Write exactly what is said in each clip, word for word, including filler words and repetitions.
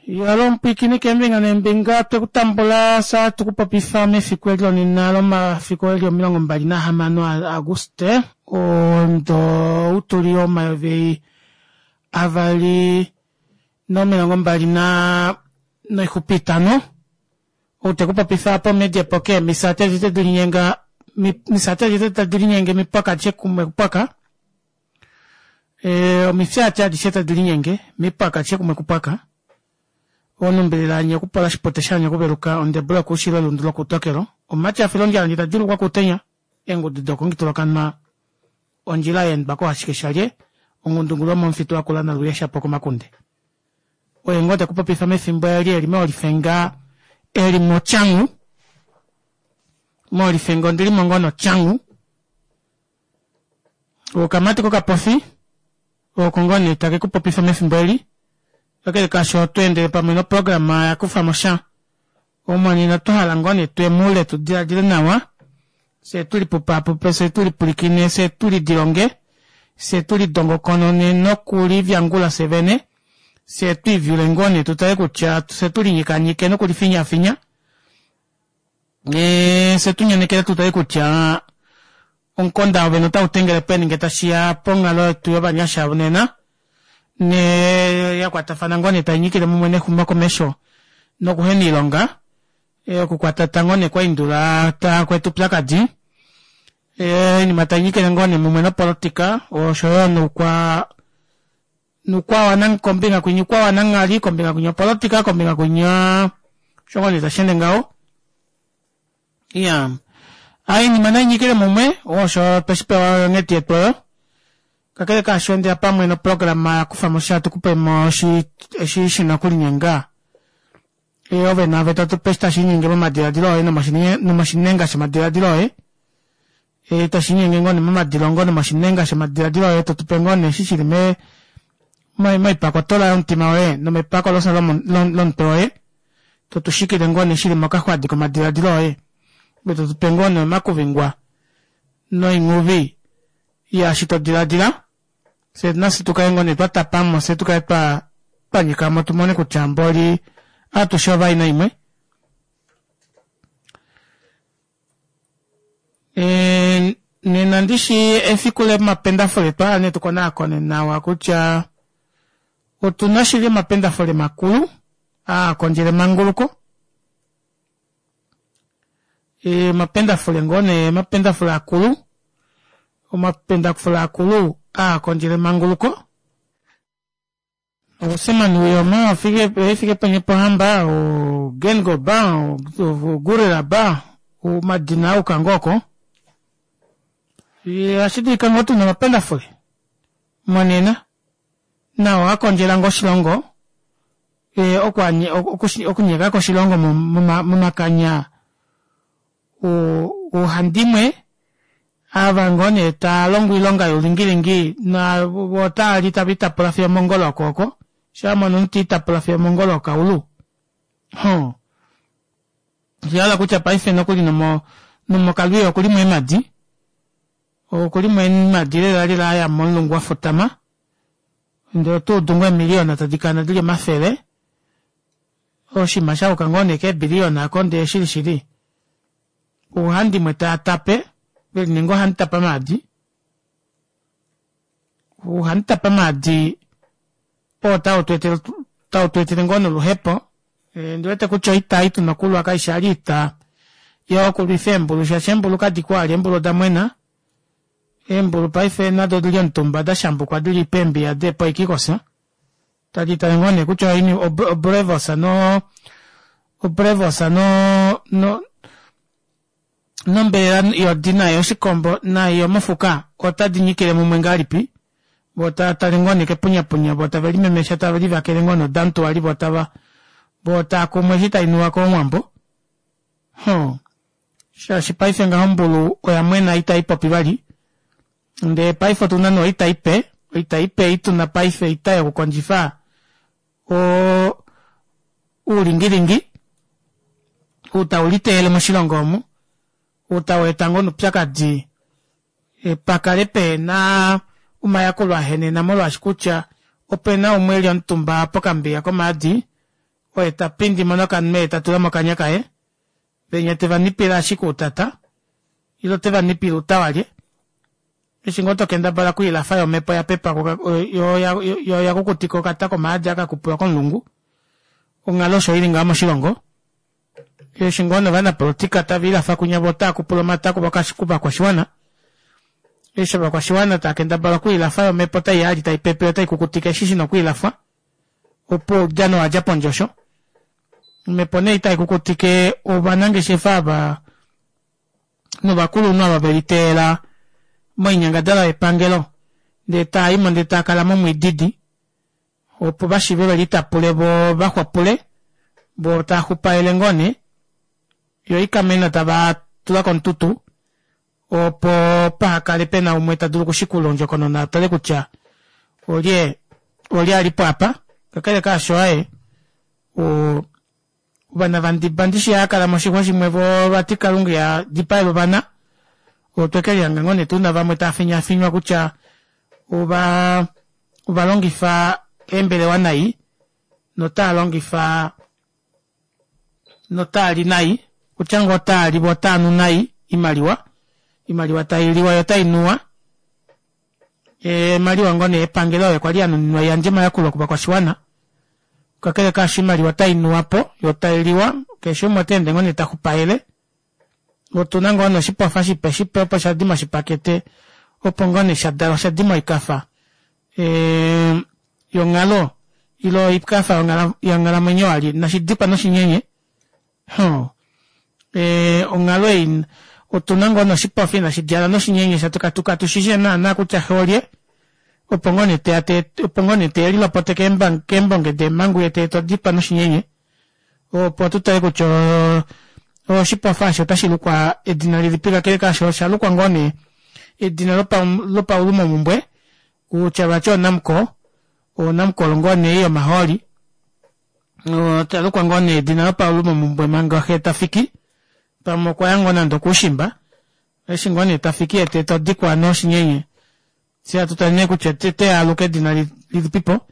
Yalo omupwiikini keembinga neembinga twekutambula sa tukupopifa mefiku eli lonena lomafiku eli omilongo mbali nahamano Auguste omudo utuli omayovi avali nomilongo mbali naa noixupe itano ou tekupopifa apa omedia poke misati adishe delinyenga misati adishe tadilinyenge mipwaka adishe kumwe kupwaka ee omifyaati adishe tadilinyenge mipwaka adishe kumwe kupwaka onumbilila hanye okupola oshipote shahanya okuveluka ondebula yokuushilo elundu lokuutokelo omumati afila ondjala ndee tadjuulukwa kuutenya eengudu dokongitula ondjila yaendwa koohashike shalye ongundungulu yomomufitu wakula naluye shapo komakunde oye ngoo tekupopifa mefimbo eli eli moolifenga eli motyangu moolifenga ondilimo ngoo notyangu okamati kokapofi oko ngoo nee takekupopifa mefimbo eli kakele kaasho otweendele pamwe noprograma yakufamo sha omonena twahala ngoo nee tuye moule tudiladile nawa fyee tulipupaapupe fyee tulipulikine fyee tulidilonge fyee tulidongokonone nokulivyangula fyee vene fyee twiivyule ngoo nee tutale kutya fyee tulinyikanyike nokulifinyafinya ee fyee tunyanekele tutale kutya omukonda woovene otautengele peni ngee tashiya ponghalo yetu yovanyasha nena nee yakwatafana ngoo nee tainyikile mumwe nexumokomesho nokuhena oilonga okukwatata ngoo nee kwaindula takweeta oupyakadi oinima tainyikile ngoo nee mumwe nopolitika oshoyo noukwa noukwa kombinga kwinya oukwa wananghali kombinga kwinya opolitika kombinga kwinya osho ngoo nee tasheende ngaho iyaa oinima nainyikile mumwe osho tweshipewa onghedi yetu oyo kakele kaasho endela pamwe noprograma yakufamosha tukupemo eshi shina okulinyenga ove naave totupe eshi tashiinyenge momadilaadilo oye nomoshinenga shomadilaadilo oye tashiinyenge ngoo nee momadilongo nomoshinenga shomadilaadilo oye totupe ngoo nee eshi shili mee moipakotola yomutima woye nomepakolosa lomutwe woye totushikile ngoo nee shili mokaxwadi komadilaadilo oye ove totupe ngoo nee omakuvingwa noinghuvi yaashi todilaadila fyee nafye tukale ngoo nee twatapamo fyee tukale twa twanyikamo tumone kutya mboli atushe ovaina imwe ee nena ndishi efiku lomapendafule otwahala nee tukonaakone nawa kutya otuna shili omapendafule makulu aakondjele emanguluko omapendafule ngoo nee omapendafule akulu omapendafule akulu aakondjele emanguluko oSam Nujoma Hifikepunye Pohamba Geingob Gurirab omadina ayuka ngoo oko ohashi dulika ngoo tuna omapendafule monena nao akondjela ngoo oshilongo okunyekako oshilongo momakanya oohandimwe ava ngoo nee taalongo oilonga youlingilingi voo otaali taviitapula fiyo omongolo okooko shaamona omunhu tiitapula fiyo omongolo yokaulu hoo oshahala kutya paife nokuli nomo nomokalwiyo okulimo eemadi okulimo eemadi lela lela aya momulungu wafutama ndee otuudu ngoo eemiliyona tadikana dili omafele oshinima shayuka ngoo nee keebiliyona aako ndee shili shili oohandimwe taatape velininga oohamutapa maadi ouhamutapa maadi oo tau tweetele ngoo noluhepo ondiwete kutya oita ei tuna okulwa kaifi vali oita yokulwifa eembulu shaashi eembulu kadiko vali eembulu odamwena eembulu paife nado odili omutumba dashambukwa dili peembiya deepoikikosa tadi tale ngoo nee kutya obrevos no obrevos no no nombelela yodi nayo yoshikombo nayo yomofuka otadi nyikile mumwe ngahelipi voo taatale ngoo nee kepunyapunya voo tave limemesha tave livakele ngoo nee odamutuwali voo tava voo taakumwe eshi tainuwa kOuwambo hoo shaashi paife ngaho ombulu oya mwena itaipopi vali ndee paife otuna nee oita ipe oita ipe ei tuna paife oita yokukondjifa oo oulingilingi ou tauliteyele moshilongo omu ou taweeta ngoo noupyakadi pakale pehena omayakulo ahenena molwaashi kutya opena umwe eli omutumba pokambiya komaadi Oye ta pindi mo nokanwe ye ta tula mokanya kaye venya tevanipile ashike outata ile otevanipile outawalye eshi ngoo tokendabala okwiilafa yoo omepo oyapepa yoo oyakukutika okata komaadi aka kakupulwa komulungu onghalo osho ili ngaho moshilongo eshi ngoo nee ovanapolitika taviilafa kunya voo otaakupula omata kovakwashiwana eshi ovakwashiwana taakendabala okwiilafa yoo omepo otaiya vali taipepe otaikukutike eshi shina okwiilafwa opuwo oudjano owadja pondje osho omepo nee ei taikukutike ovanangeshefa ava novakulunhu ava veliteela moinyangadalwa yepangelo ndee taayimo ndee taakala momwiididi opo vashiive velitapule voo vaxwapule voo taaxupaele ngoo nee yoo oikamena tavatula komututu opo pahakale pena umwe tadulu okushikula ondjokonona atale kutya olye olye alipo aapa kakele kaasho aaye oo ovana vandiba ndishi haakala moshixwa shimwe voo vati kalunga ihadipaele ovana otwekelihanga ngoo nee tuna vamwe taafinyaafinywa kutya ovaa ovalongifa eembelewa nai notaalongifa notaali nai kutya ngoo otaali voo otaanu nai oimaliwa oimaliwa tailiwa yoo otainuwa oimaliwa ngoo nee yepangelo oyo kwali yanuninwa iyandje omayakulo kovakwashiwana kakele kaasho oimaliwa otainuwapo yoo tailiwa keshe umwe otaende ngoo nee taxupaele otuna ngoo nee oshipofa shipe shipe opo shadi moshipakete opo ngoo nee shadalwa shadi moikafa ee yonghalo ile oikafa yonghalamwenyo vali nashidikwa noshinyenye hoo ee onghalo ei otuna ngoo nee oshipofa ina shidjala noshinyenye katushishi naana kutya xee olye opo ngoo nee teya opo ngoo nee telilopote keembonge deemangu yee teeta odikwa noshinyenye opo tutale kutya oshipofa aasho otashilukwa edina lilipi kakele kaasho oshalukwa ngoo nee edina lopaulumomumbwe kutya vati oNamcor oNamcor ngoo nee ei yomahooli oshalukwa ngoo nee edina lopaulumomumbwe manga xee tafiki pamwe okwaya ngoo nande okoushimba eshi ngoo nee tafiki yee teeta odikwa noshinyenye fyee hatu tale nee kutya oteya aluke edina lilipipo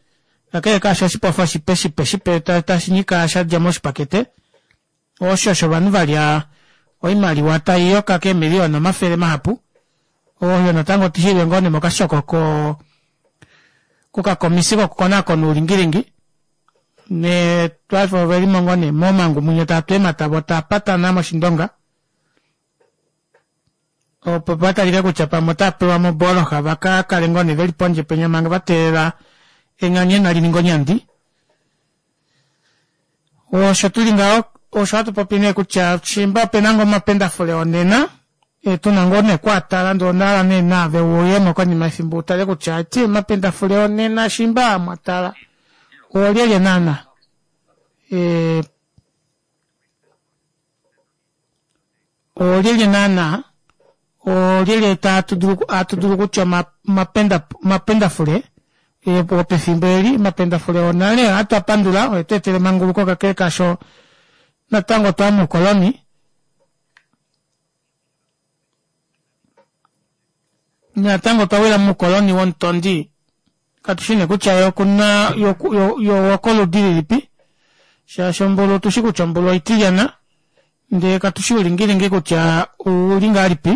kakele kaasho oshipofa oshipe shipe shipe tashinyika shadja moshipakete osho shovanhu valya oimaliwa taiyoka keemiliyona omafele mahapu oyo natango shili ngoo nee mokashoko koo kokakomisi kokukonaakona oulingilingi nee paife ovelimo ngoo nee momangu munya taatu eemata voo taapatana moshindonga opo patalike kutya pamwe otaapewa mobooloha vakakale ngoo nee veli pondje penya manga vateelela enganyena lininge onyandi osho tuli ngaho osho hatu popi nee kutya shiimba opena ngoo omapendafule onena tuna ngoo nee okwaatala ndee ondahala nee naave uyemo konima yefimbo utale kutya eti omapendafule onena shiimba mwatala oolyelye naana ee oolyelye naana oolyelye hatudulu kutya omapendafule opefimbo eli omapendafule onale ohatu apandula oetweetela emanguluko kakele kaasho natango otwaya moukoloni natango otwawila moukoloni womutondi katushi nee kutya yee okuna ye owokoludi lilipi shaashi ombulu otushi kutya ombulu oitilyana ndee katushi oulingilingi kutya ouli ngahelipi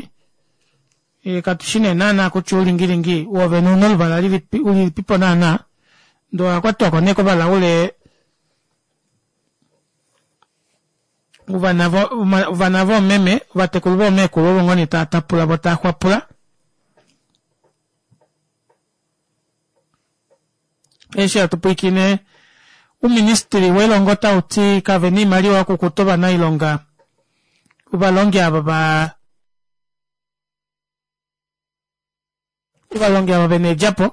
katushi nee naana kutya oulingilingi woovene ouna oluvala lilipipo naana ndee owakwatwako nee kovalaule ovana voomeme ovatekulu voomekulu ovo ngoo nee taatapula voo taaxwapula eshi hatu pwiikine ouministry welongo otauti kavena oimaliwa yokukuta ovanailonga ovalongi ava va ovalongi ava vena eedjapo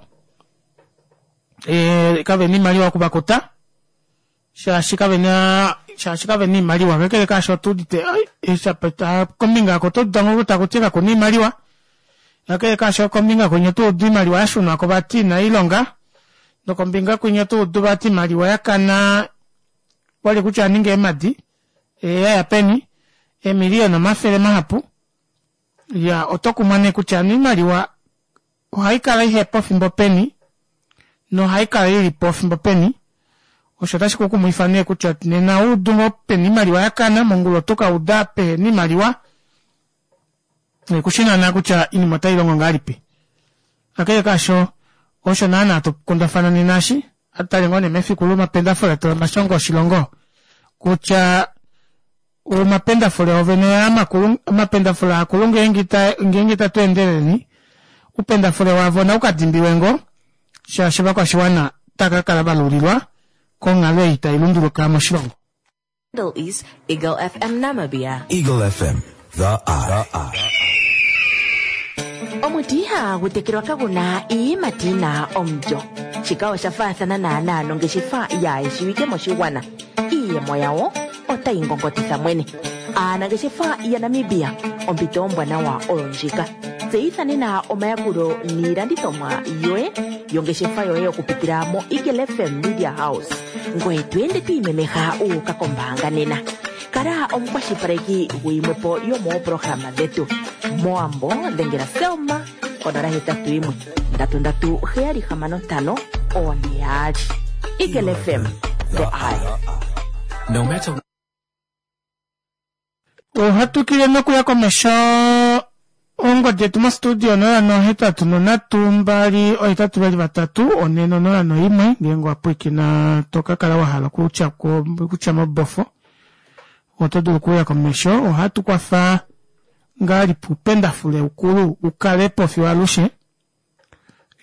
ee kavena oimaliwa okuvakuta shaashi kavena shaashi kavena oimaliwa kakele kaasho otuudite kombinga aako otouda ngoo takuti kakuna oimaliwa kakele kaasho kombinga kwinya otoudu oimaliwa yashunwako vati inailonga nokombinga kwinya otoudu vati oimaliwa yakana kwali kutya oyaninga eemadi yaya peni eemiliyona omafele mahapu iyaa otokumwa nee kutya hano oimaliwa ohaikala ihepo efimbo peni nohaikala ilipo efimbo peni Osho otashi kukumwifa nee kutya nena oudu ngoo pena oimaliwa yakana mongula oto kauda pehena oimaliwa kushi naana kutya oinima otailongo ngahelipi. Kakele kaasho osho naana hatukundafana nena eshi ohatutale ngoo nee mefiku lomapendafule omashongo oshilongo kutya omapendafule oovene aa makulu omapendafule akulu ngeenge ngeenge ita tweendeleleni oupendafule wavo naukadimbiwe ngoo shaashi ovakwashiwana otava kakala valulilwa konghalo ei tailunduluka moshilongo. Handle is Eagle F M Namibia. Eagle F M, The Eye. Omuti ihagu tekelwa kaguna iiyimati yina omulyo. Shika osha faathana naanaa nongeshefa yaayeshiwike moshigwana. Iiyemo yawo otayi ngongotitha mwene. Aanangeshefa yaNamibia, ompito ombwanawa oyo ndjika. Tseyitha nena omayakulo niilandithomwa yoye yongeshefa yoye okupitila mo Eagle F M Media House, ngoye to ende to imemeha uuka kombaanga nena. Kala omukwashilipaleki guyimwepo yomooprograma dhetu. Mowambo dhengela Selma konola hetatu yimwe ndatu ndatu heyali hamano ntano one yaali. Eagle F M, The Eye. No matter Ohatukile nokuya komesho ongodi yetu mostudio onola nohetatu nonhatu mbali ohetatu vali vatatu one nonola noimwe. Ngeenge wapwiikina tokakala wahala okutya kutya mobofo oto dulu okuuya komesho. Ohatu kwafa ngahelipi upendafule ukulu ukalepo fiyo alushe.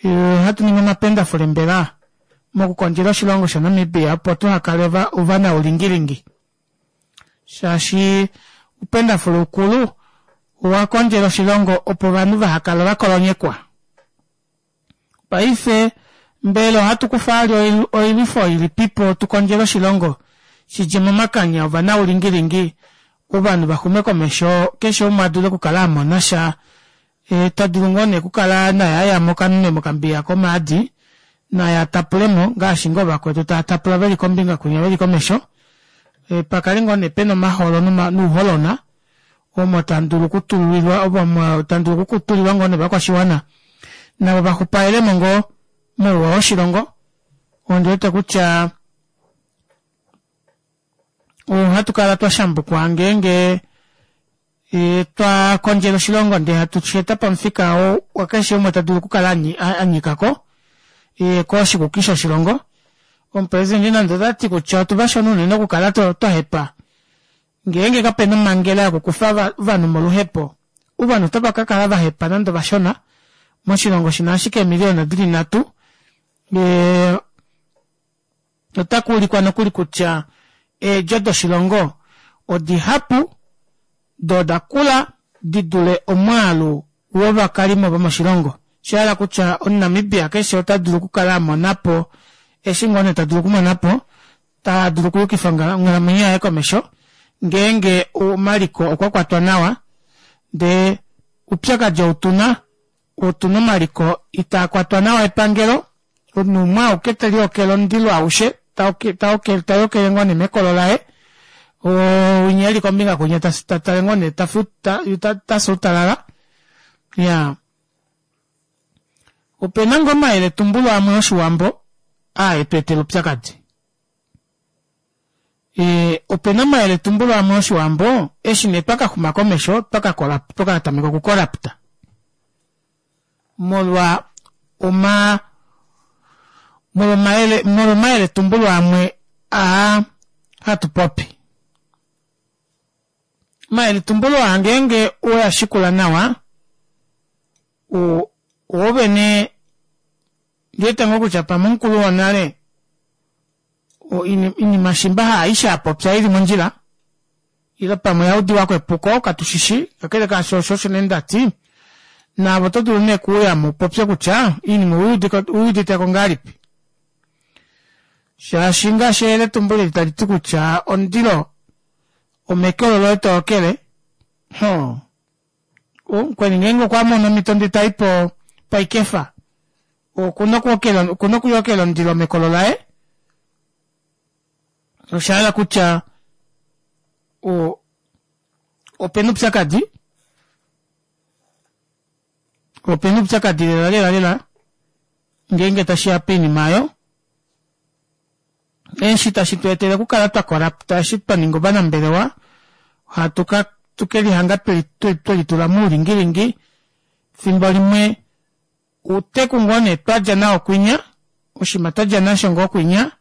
Ohatu ningi omapendafule mbela mokukondjela oshilongo shaNamibia opo tuhakale ovanaulingilingi shaashi upendafule ukulu owakondjela oshilongo opo ovanhu vahakale vakolonyekwa. Paife mbela ohatu kufa vali oilwifo ilipipo tukondjele oshilongo shidje momakanya ovanaulingilingi ovanhu vaxume komesho keshe umwe adule okukala amonasha e, tadulu ngoo nee okukala naye ayamo okanune mokambiya komaadi naye atapulemo ngaashi ngoo vakwetu tava tapula veli kombinga kwinya veli komesho e, pakale ngoo nee pena omaholo nouholona omo tandulu okutulilwa omo tandulu okutulilwa ngoo nevakwashiwana navo vaxupaelemo ngoo mouwa woshilongo. Ondiwete kutya ohatu kala twashambukwa ngeenge e, twakondjela oshilongo ndee hatu sheta pamufika wakeshe umwe tadulu okukala anyikako e, koshikuki shoshilongo. Omupresidente nande otati kutya otuvashona unene okukala twahepa ngeenge kapena omhangela yokukufa ovanhu moluhepo ovanhu otava kakala vahepa nande ovashona moshilongo shina ashike eemiliyona dili nhatu e, otakuulikwa nokuli kutya eedjo doshilongo odihapu doo odakula didule omwaalu wovakalimo vomoshilongo. Oshahala kutya omuNamibia keshe ota dulu okukala amonapo eshi ngoo nee tadulu okumonapo tadulu okuyukifa onghalamwenyo yaye komesho ngeenge omaliko okwa kwatwa nawa ndee oupyakadi outuna otuna omaliko itaa kwatwa nawa epangelo omunhu umwe auke teliokele omundilo aushe tayokele ngoo nee mekolo laye winya eli kombinga kwinya tatale ngoo nee tasuutalala. Iyaa opena ngoo omayeletumbulo amwe oshiwambo aa etweetela oupyakadi e, opena omayeletumbulo amwe oshiwambo eshi nee twakaxuma komesho twakatameka okukorapta molwa oma molwa omayeletumbulo amwe aa hatu popi. Omayeletumbulo aa ngeenge oweyashikula nawa oovene ndiwete ngoo kutya pamwe omukulu wonale oinima shimba haaishe apopya ili mondjila ile pamwe yaudiwako epuko katushishi. Kakele kaasho osho osho nee ndati naave oto dulu nee okuuyamo upopye kutya oinima ouyuditeko ngahelipi shaashi ngaashi eyeletumbulo eli taliti kutya omundilo omekolo loye tookele hoo mukweni ngeenge okwamono omhito ndee tai po paikefa okuna okuyokela omundilo mekolo laye. Oshahala kutya opena oupyakadi opena oupyakadi lela lela lela ngeenge tashiya poinima aayo. Eshi tashi tu etele okukala twa korapta eshi twa ninga ovanambelewa ohatu ka tukelihanga twelitula moulingilingi fimbo limwe outeku ngoo nee twadja nao kwinya oshiima twadja nasho ngoo kwinya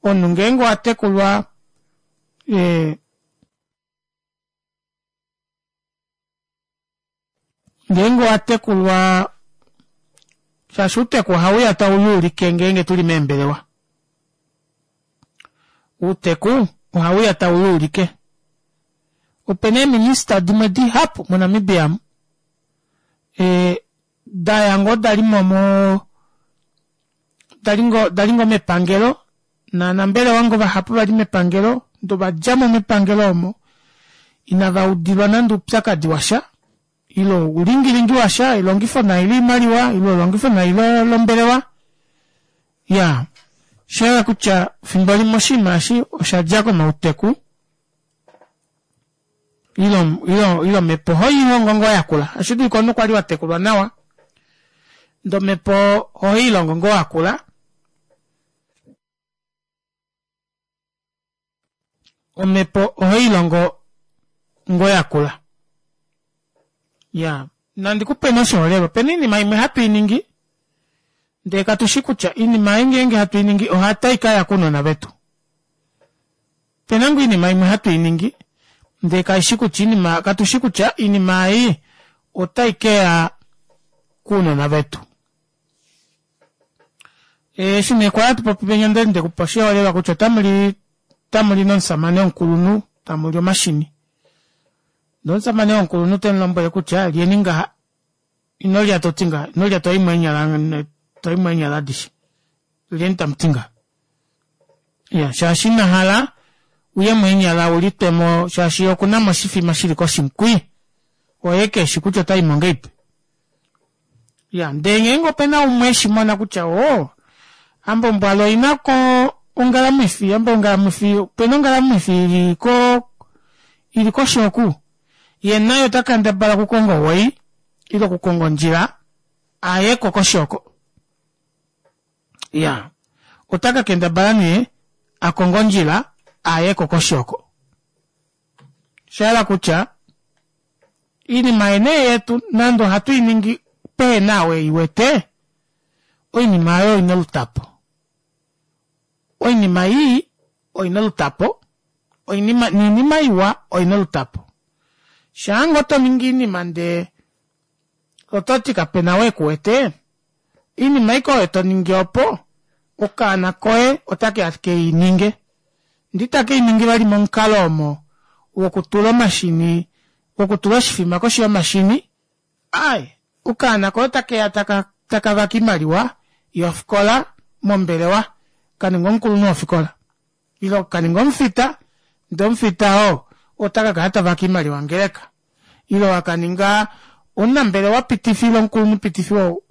omunhu ngeenge owatekulwa ee ngeenge owatekulwa shaashi outeku ohauya tauluulike ngeenge tuli meembelewa outeku ohauya tauluulike opena eeminister dimwe dihapu mo Namibia amu ee daya ngoo dalimo moo dali ngoo mepangelo novanambelewa ngoo vahapu vali mepangelo ndee ovadjamo mepangelo omo inava udilwa nande oupyakadi washa ile oulingilingi washa elongifo nai loimaliwa ile elongifo nai lombelewa iyaa oshahala kutya efimbo limwe oshinima eshi oshadja komauteku ile omepo ohoilongo ngoo yakula otashi dulika omunhu kwali watekulwa nawa ndee omepo ohoilongo ngoo wakula omhepo ohoilongo ngoo yakula iyaa nandikupe nee oshiholelwa opena oinima imwe hatu iningi ndee katushi kutya oinima ei ngenge hatu iningi otaikaya kounona vetu opena ngoo oinima imwe hatu iningi ndee kaishi kutya oinima katushi kutya oinima ei otaikeya kounona vetu eshi nee kwali hatupopi penya okwali ndekupa oshiholelwa kutya otamuli otamuli nomushamane womukulunhu tamuli omashini ndee omushamane womukulunhu temulombwele kutya lyeni ngaha inolya toti ngaha inolya toyimo eenyala toyimo eenyala adishe lyeni tamuti ngaha iya shaashi inahala uyemo eenyala ulitwemo shaashi yee okunamo oshifima shili koshi kwii oye keshi kutya otaimo ngahelipi iya ndee ngeenge opena umwe eshimona kutya oo hambo mbwali oinako ongalamwifi hambo ongalamwifi opena ongalamwifi ili koo ili koshi oku yee naye ota kendabala okukonga o way ile okukonga ondjila ayeko koshi oko iyaa ota kakendabala nee akonge ondjila ayeko koshi oko oshahala kutya oinima nee yetu nande ohatu iningi pehena ou eiwete oinima aayo oina olutapo oinima ii oina olutapo oinima noinima iwa oina olutapo shaangoo toningi oinima ndee ototi kapena ou ekuwete oinima ashike oyo toningi opo okaana koye otakeya keininge ndee itakeiningi vali momukalo omo wokutula omashini wokutula oshifima koshi yomashini aaye okaana koye otakeya takavake oimaliwa yofikola mombelewa kaninga omukulunhu wofikola ile kaninga omufita ndee omufita oo otakakala tavake oimaliwa yongeleka ile wakaninga omunambelewa pitifi ile omukulunhu pitifi wo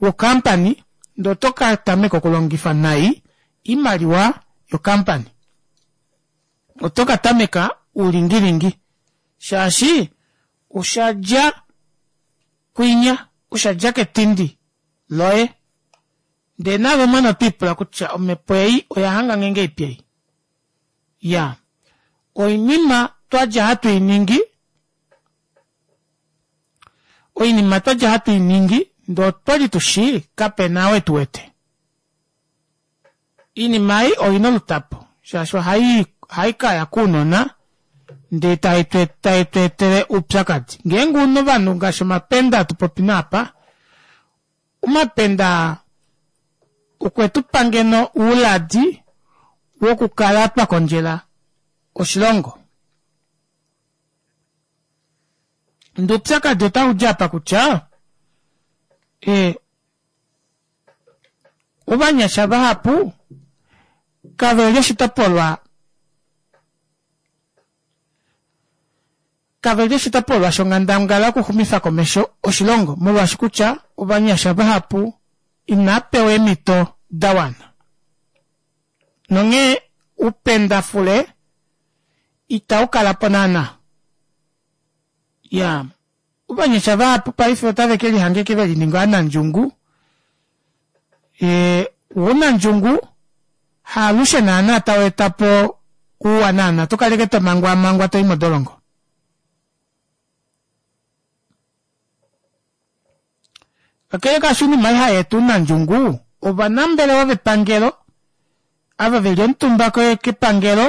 wo company ndee oto katameka okulongifa nai oimaliwa yo company oto katameka oulingilingi shaashi oshadja kwinya oshadja ketindi loye ndee naave mwene otwiipula kutya omepo ei oyahangange ngahelipi ei iyaa oinima twadja hatu iningi oinima twadja hatu iningi ndee otwali tushi kapena ou etuwete oinima ei oina olutapo shaashi ohaikaya kounona ndee taitweetele oupyakadi ngeenge una ovanhu ngaashi omapenda hatupopi naapa omapenda okwetupa ngeno ouladi wokukala twakondjela oshilongo ndee oupyakadi otaudi apa kutya ee ovanyasha vahapu kaveli oshitopolwa kaveli oshitopolwa shonghandangala yokuxumifa komesho oshilongo molwaashi kutya ovanyasha vahapu inaapewa eemito dawana nonghee upendafule itaukalapo naana iyaa ovanyasha vahapu paife otave kelihanga ashike velininga ovanandjungu ee ounandjungu Haalushe naana tau eta po ouwa naana to kaleke tomangwaamangwa toi modolongo. Kakele kaasho oinima ei hayeeta ounandjungu ovanambelewa vepangelo ava veli omutumba kepangelo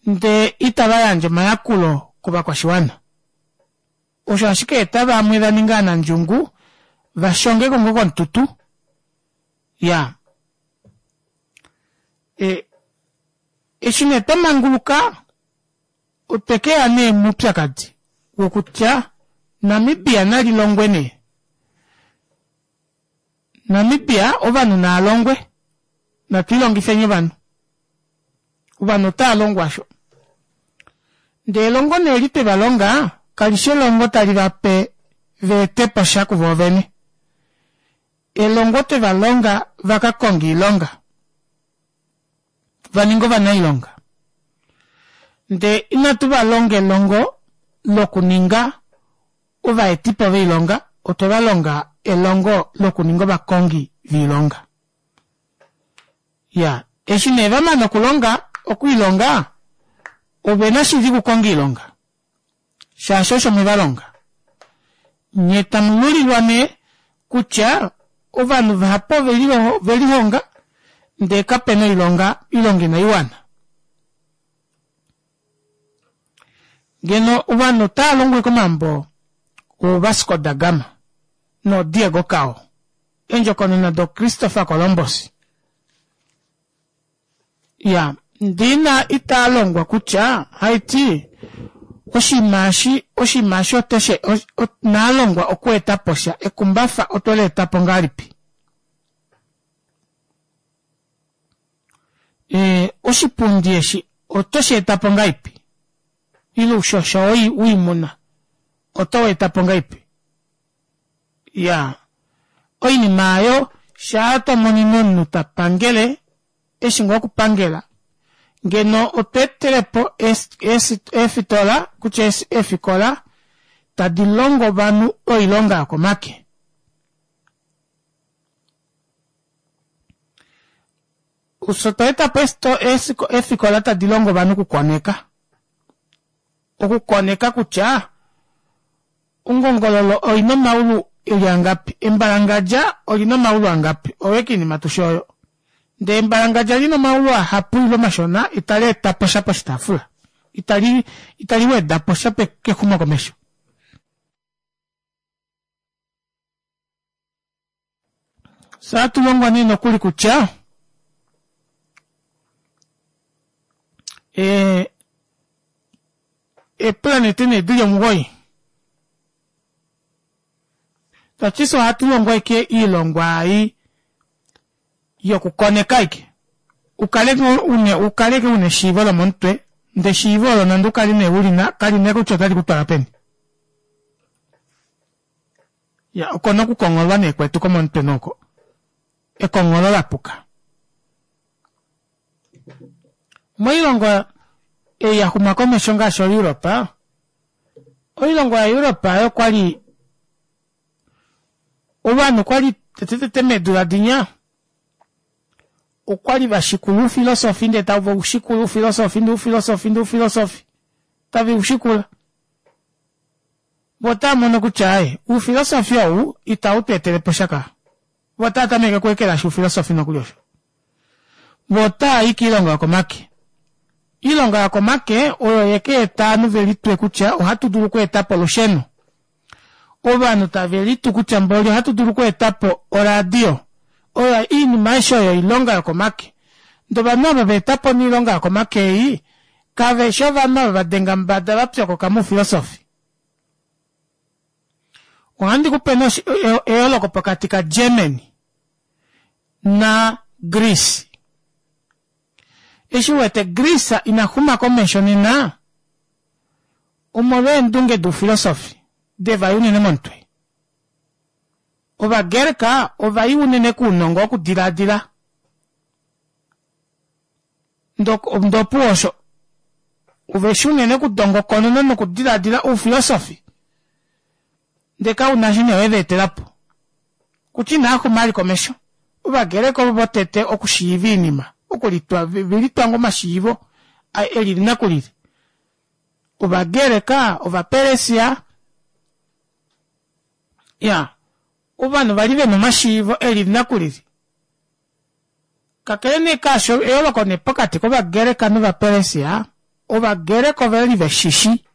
ndee itava yandje omayakulo kovakwashiwana. Osho ashike eta vamwe vaninga ovanandjungu vashongeko ngoo komututu iyaa eshi nee twamanguluka otwekeya nee moupyakadi wokutya Namibia nalilongwe nee Namibia ovanhu naalongwe natwiilongifeni ovanhu ovanhu otaalongwa aasho ndee elongo nee eli twevalonga kalishi elongo tali vape vaetepo sha kuvoo vene elongo twevalonga vakakonge oilonga vaninge ovanailonga ndee inatu valonga elongo lokuninga ovaetipo voilonga otwe valonga elongo lokuninga ovakongi voilonga iyaa eshi nee vamana okulonga okwiilonga ovena shili okukonga oilonga shaashi osho mwevalonga nyee tamululilwa nee kutya ovanhu vahapu ovelihonga ndee kapena oilonga oilonga inaiwana ngeno ovanhu otaalongwa ashike omambo oo Vasco da gama noo Diego Cao eendjokonona do Christopher Columbus iyaa ndee ina itaalongwa kutya haiti oshinima eshi oshinima eshi oteshi naalongwa okweetaposha ekumbafa otweleetapo ngahelipi ee oshipundi eshi oto sheetapo ngahelipi ile oushosho woimuna oto weetapo ngahelipi iyaa oinima aayo shaa tomonene omunhu tapangele eshi ngoo okupangela ngeno otwa etelepo eefitola kutya eefikola tadi longo ovanhu oilonga yokomake fyee otwa etapo eefikola tadi longo ovanhu okukoneka okukoneka kutya ongongololo oina omaulu eli angapi embalangadja olina omaulu angapi oyo ashike oinima tushi oyo ndee embalangadja lina omaulu ahapu ile mashona itali etaposha poshitaafula itali itali wedaposha kexumokomesho fyee ohatulongwa nee nokuli kutya ee eeplanete nee dili omugoyi tashiti fyee ohatulongwa ashike oilongwa ei yokukoneka ashike ukale ukale ashike una eshiivo lomomutwe ndee eshiivo olo nande ukale nee ulina kalina kutya otali kutwala peni iya oko nee okukongholwa nee kwetu komomutwe nee oko ekongholo lapuka moilongo ei yaxuma komesho ngaashi o Europe oilongo ya Europe aayo okwali ovanhu okwali tete tete meedula dinya okwali vashikula oufilosofi ndee tavaushikula oufilosofi ndee oufilosofi ndee oufilosofi taveushikula voo otaamono kutya aaye oufilosofi ou ita utweeteleposha kaa voo otaatameke okweekelashi oufilosofi nokuli osho voo otaayi koilonga yokomake oilonga yokomake oyo yekeeta ovanhu velitwe kutya ohatu dulu okweetapo olusheno ovanhu tave litu kutya mboli ohatu dulu okweetapo oradio oyo oinima aishe oyo oilonga yokomake ndee ovanhu ava vaetapo nee oilonga yokomake ei kaveshi ovanhu ava vadenga mumbada vapyokoka moufilosofi ohandi kupe nee eyooloko pokati ka Germany na Greece eshi uwete Greece ina xuma komesho nena omolwa eendunge doufilosofi devaya unene momutwe ovagerka ovai unene kounongo wokudilaadila ndee opuwo osho oveshi unene okudongokonona nokudilaadila oufilosofi ndee kauna eshi nee wevaetelapo kutya inaaxuma vali komesho ovagreka ovo votete okushiiva oinima Okulitwa velitwa ngoo omashiivo elili nakulili. Ovagreka, Ovaperesia, ya ovanhu vali vena omashiivo elili nakulili. Kakele nee kaasho eyooloko nee pokati kovagreka novaperesia, Ovagreka ovali veshishi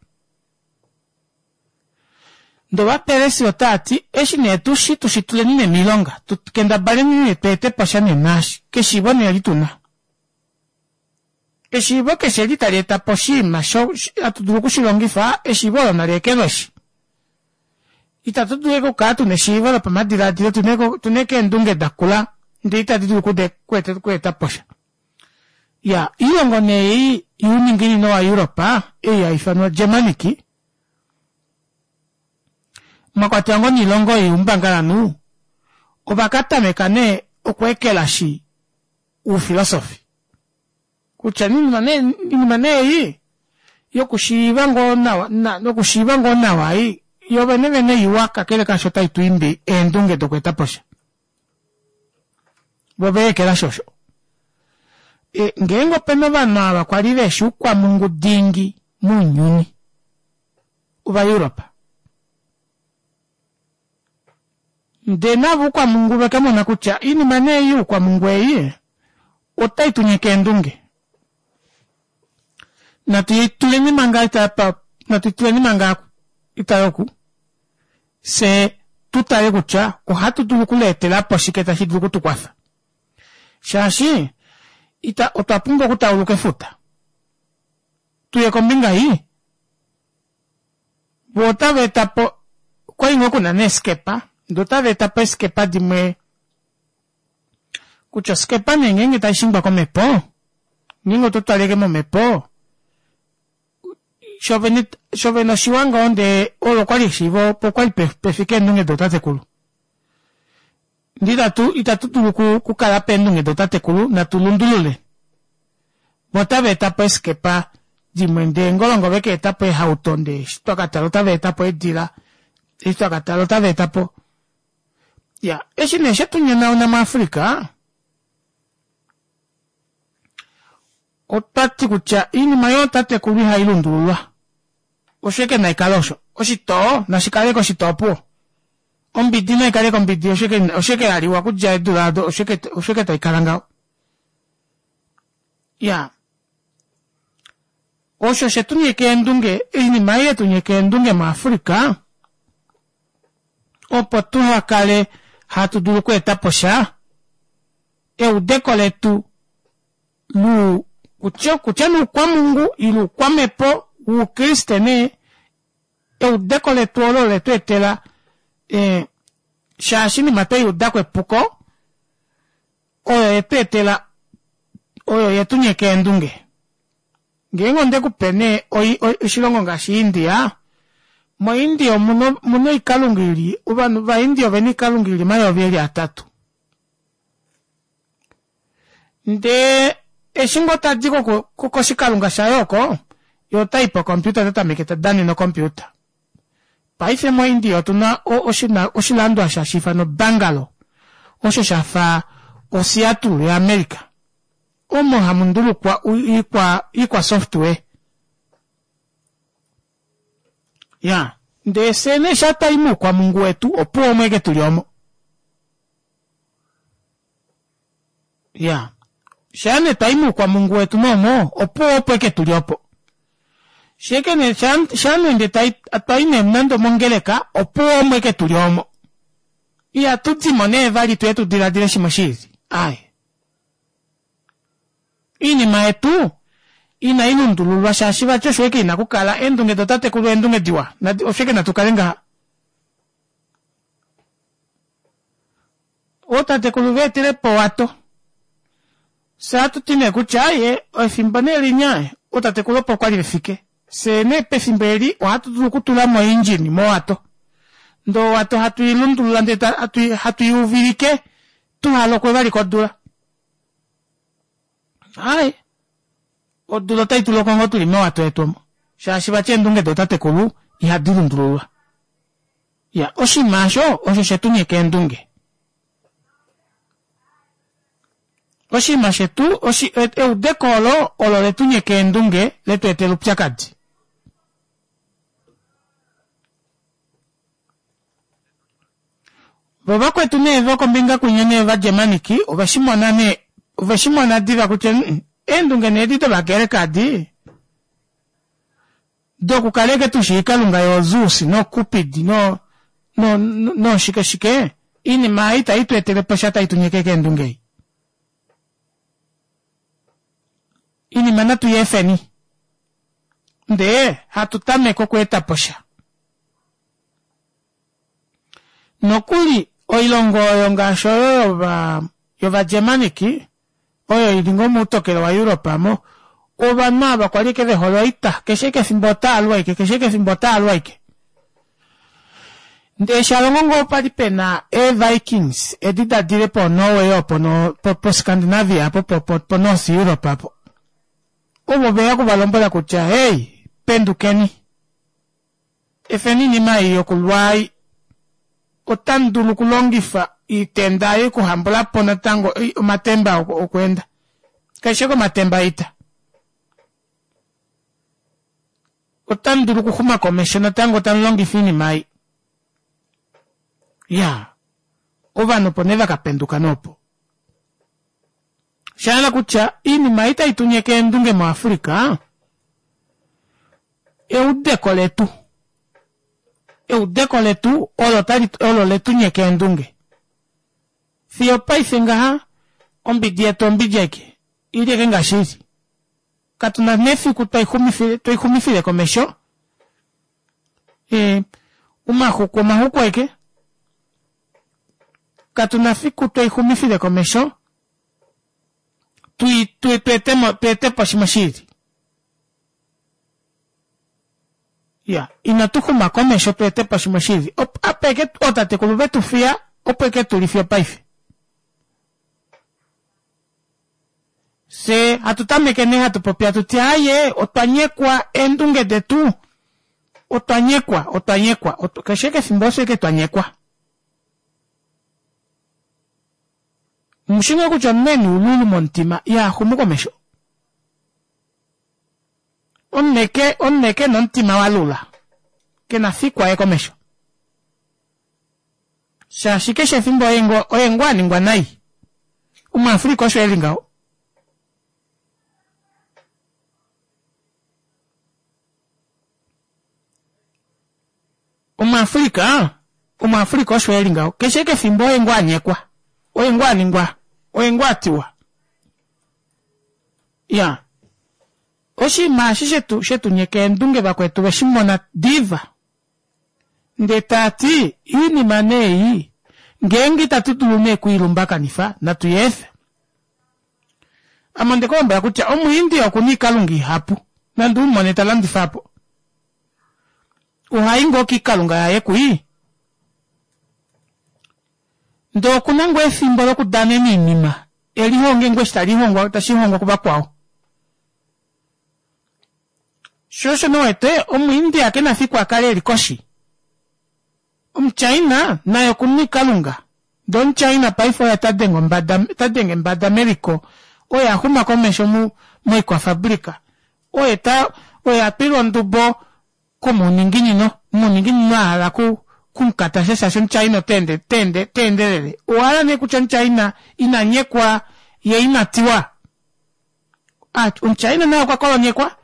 ndee ovaperesia otaati eshi nee tushi tushituleni nee moilonga tukendabaleni nee tweeteposha nee naashi keshiivo nee eli tuna. Eshiivo keshe eli tali etapo oshiima hatu dulu okushilongifa eshiivo olo naleekelweshi. Ita tudulu ashike okukala tuna eshiivo lopamadilaadilo tuna ashike eendunge dakula ndee itadi dulu okweetaposha. Iyaa oilongo nee ei youninginino wa europe ei haifanwa Germanic mwakwatelwa ngoo noilongo youmbangalanhu ovakatameka nee okweekelashi oufilosofi kutya oinima nee ei yokushiiva ngoo nawa yokushiiva ngoo nawa ei yoovene vene iwa kakele kaasho otaitwiimbi eendunge dokweetaposha. Voo ovaekelashi osho. Ngeenge opena ovanhu ava kwali veshi oukwamungu dingi mounyuni ova europe. Ndee navo oukwamungu ovakamona kutya oinima nee ei youkwamungu ei otaitunyeke eendunge. Natuituleni manga natuituleni manga itale oku fyee tutale kutya ohatu dulu okuleetelapo shike tashi dulu okutukwafa. Shaashi ita otwa pumbwa okutauluka efuta tuye kombinga ei voo otava etapo okwali ngoo kuna neeskepa ndee otava etapo eeskepa dimwe kutya oskepa nee ngenge taishingwa komepo ngeenge ototwala ashike momepo shoovene shoovene oshiwa ngoo ndee olo okwali eshiivo opo kwali pefike eendunge dootatekulu. Ndee itatu itatu dulu okukala peendunge dootatekulu natu lundulule. Voo otava etapo eeskepa dimwe ndee ngolongo ovakaetapo eehauto ndee eshi twakatala otava etapo eedila eshi twakatala otava etapo iyaa eshi nee shetunyonauna mu africa otwati kutya oinima yootatekulu ihailundululwa osho ashike naikale osho oshitoo nashikale ashike oshitoo opuwo ombidi naikale ashike ombidi osho ashike yaliwa okudja eedula aado osho ashike taikala ngaho. Iyaa osho shetunyeka eendunge oinima ei yetunyeka eendunge mu africa opo tuhakale hatu dulu okweetaposha eudeko letu luu kutya nee oukwamungu ile oukwamepo woukriste nee eudeko letu olo oletweetela ee shaashi oinima tweyuudako epuko oyo yetweetela oyo yetunyeka eendunge. Ngeenge ondekupe nee oshilongo ngaashi india, mo india omuna oikalunga ili ovanhu va india ovena oikalunga ili omayovi eli atatu. Ndee eshi ngoo tadi koshikalunga shaye oko yee otayi po computer otatameke tadanene o computer. Paife mo india otuna oshilando osho hashiifanwa Bangalo osho shafa o Seattle ya america omo hamundulukwa oikwa software. Iyaa ndee fyee nee shaa twayi moukwamungu wetu opuwo omo ashike tuli omo. Iyaa shaa nee twayi moukwamungu wetu moomo opuwo opo ashike tuli opo. Shaike nee shaa nee twayi nee nande omongeleka opuwo omo ashike tuli omo. Ihatudimo nee vali tuye tudilaadile shimwe shiili aaye. Oinima yetu inailundululwa shaashi vati osho ashike ina okukala eendunge dootatekulu eendunge diwa osho ashike natukale ngaha. Ootatekulu veetelepo owato fyee ohatuti nee kutya aaye efimbo nee linya ootatekulu opo kwali vefike fyee nee pefimbo eli ohatu dulu okutulamo o engine mowato ndee owato hatu ilundulula ndee hatu iuvilike tuhalokwe vali kodula. Aaye odula otaituloko ngoo tuli mowato yetu omo shaashi vati eendunge dootatekulu ihadi lundululwa. Iya oshinima aasho osho shetunyeka eendunge. Oshinima shetu oshi, eudeko olo olo letu nyeka eendunge letu etela oupyakadi. Vo vakwetu nee vokombinga kwinya nee ovagermaniki oveshimona nee oveshimona diva kutya mm, eendunge nee edi dovagreka adi dokukala eke tushii kalunga yoozeus nocupid no no noshike shike oinima ei itayi tu etele po sha tai tu nyeke keendunge ei. Iinima natu yi efeni ndee hatu tameke okweeta po sha. Nokuli oilongo oyo ngaashi oyo yova yovagermanic oyo ili ngoo moutokelo waeurope aamo ovanhu ava kwali ashike vehole oita keshe ashike efimbo otaalu ashike keshe ashike efimbo otaalu ashike. Ndee shalongo ngoo pali pena ee vikings edi dadile po norway opo no po scandinavia apo po, po, po north europe apo ovo veya okuvalombwela kutya hey pendukeni efeni oinima ei yokulwa ei otamu dulu okulongifa oitenda ei okuhambulapo natango omatemba okweenda kaishe komatemba oita otamu dulu okuxuma komesho natango tamu longifa oinima ei. Ya ovanhu opo nee vakapenduka noopo. Shahala kutya oinima ei tai tunyeke eendunge muAfrica eudeko letu eudeko letu olo tali olo letu nyeka eendunge. Fiyo paife ngaha ombidi yetu ombidi aike ili eke ngaashi ili. Katuna nefiku twaixumifile twaixumifile komesho e, omaxuku omaxuku aike katuna fiku twaixumifile komesho tui tui tweetemo tweetepo shimwe shiili. Ya inatu xuma komesho tweetepo shimwe shiili. Apa eke ootatekulu vetu fiya opo eke tuli fiyo paife. Fye hatu tameke nee hatu popi hatu ti aaye otwa nyekwa eendunge detu otwa nyekwa otwa nyekwa keshe kefimbo osho eke twa nyekwa. Mushi ngoo kutya omunhu ena oululu momutima ihaxumu komesho. Omunhu eke omunhu eke ena omutima walula kena fiku aye komesho. Shaashi keshe efimbo oye ngoo oye ngoo aningwa nai. Omuafrica osho eli ngaho. Omuafrica omuafrica osho eli ngaho. Keshe kefimbo oye ngoo anyekwa. Oye ngoo aningwa. Oye ngoo atiwa. Ya. Oshinima eshi shetu shetu nyeka eendunge vakwetu veshimona diva. Ndee taati oinima nee ei ngeenge itatu dulu nee okwiilumbakanifa natu yeefe. Ame onde kulombwela kutya omuindia okuna oikalunga ihapu nande umone talandifa apo. Ohai ngoo kiikalunga yaye kwii ndee okuna ngoo efimbo lokudanena oinima elihonge ngoo eshi talihongwa tashihongwa kuvakwao. Sho osho nowete omuindia kena fiku akale eli koshi. Omuchina naye okuna oikalunga ndee omuchina paife oye tadenge ombada tadenge mbada meliko oye axuma komesho mu moikwafabrika oye ta oye atwilwa ondubo komuninginino omuninginino ahala ku kumukatasha shaashi omuchina oteende teende teendelele. Owahala nee kutya omuchina ina nyekwa ye ina tiwa. Omuchina naye okwa kolonyekwa.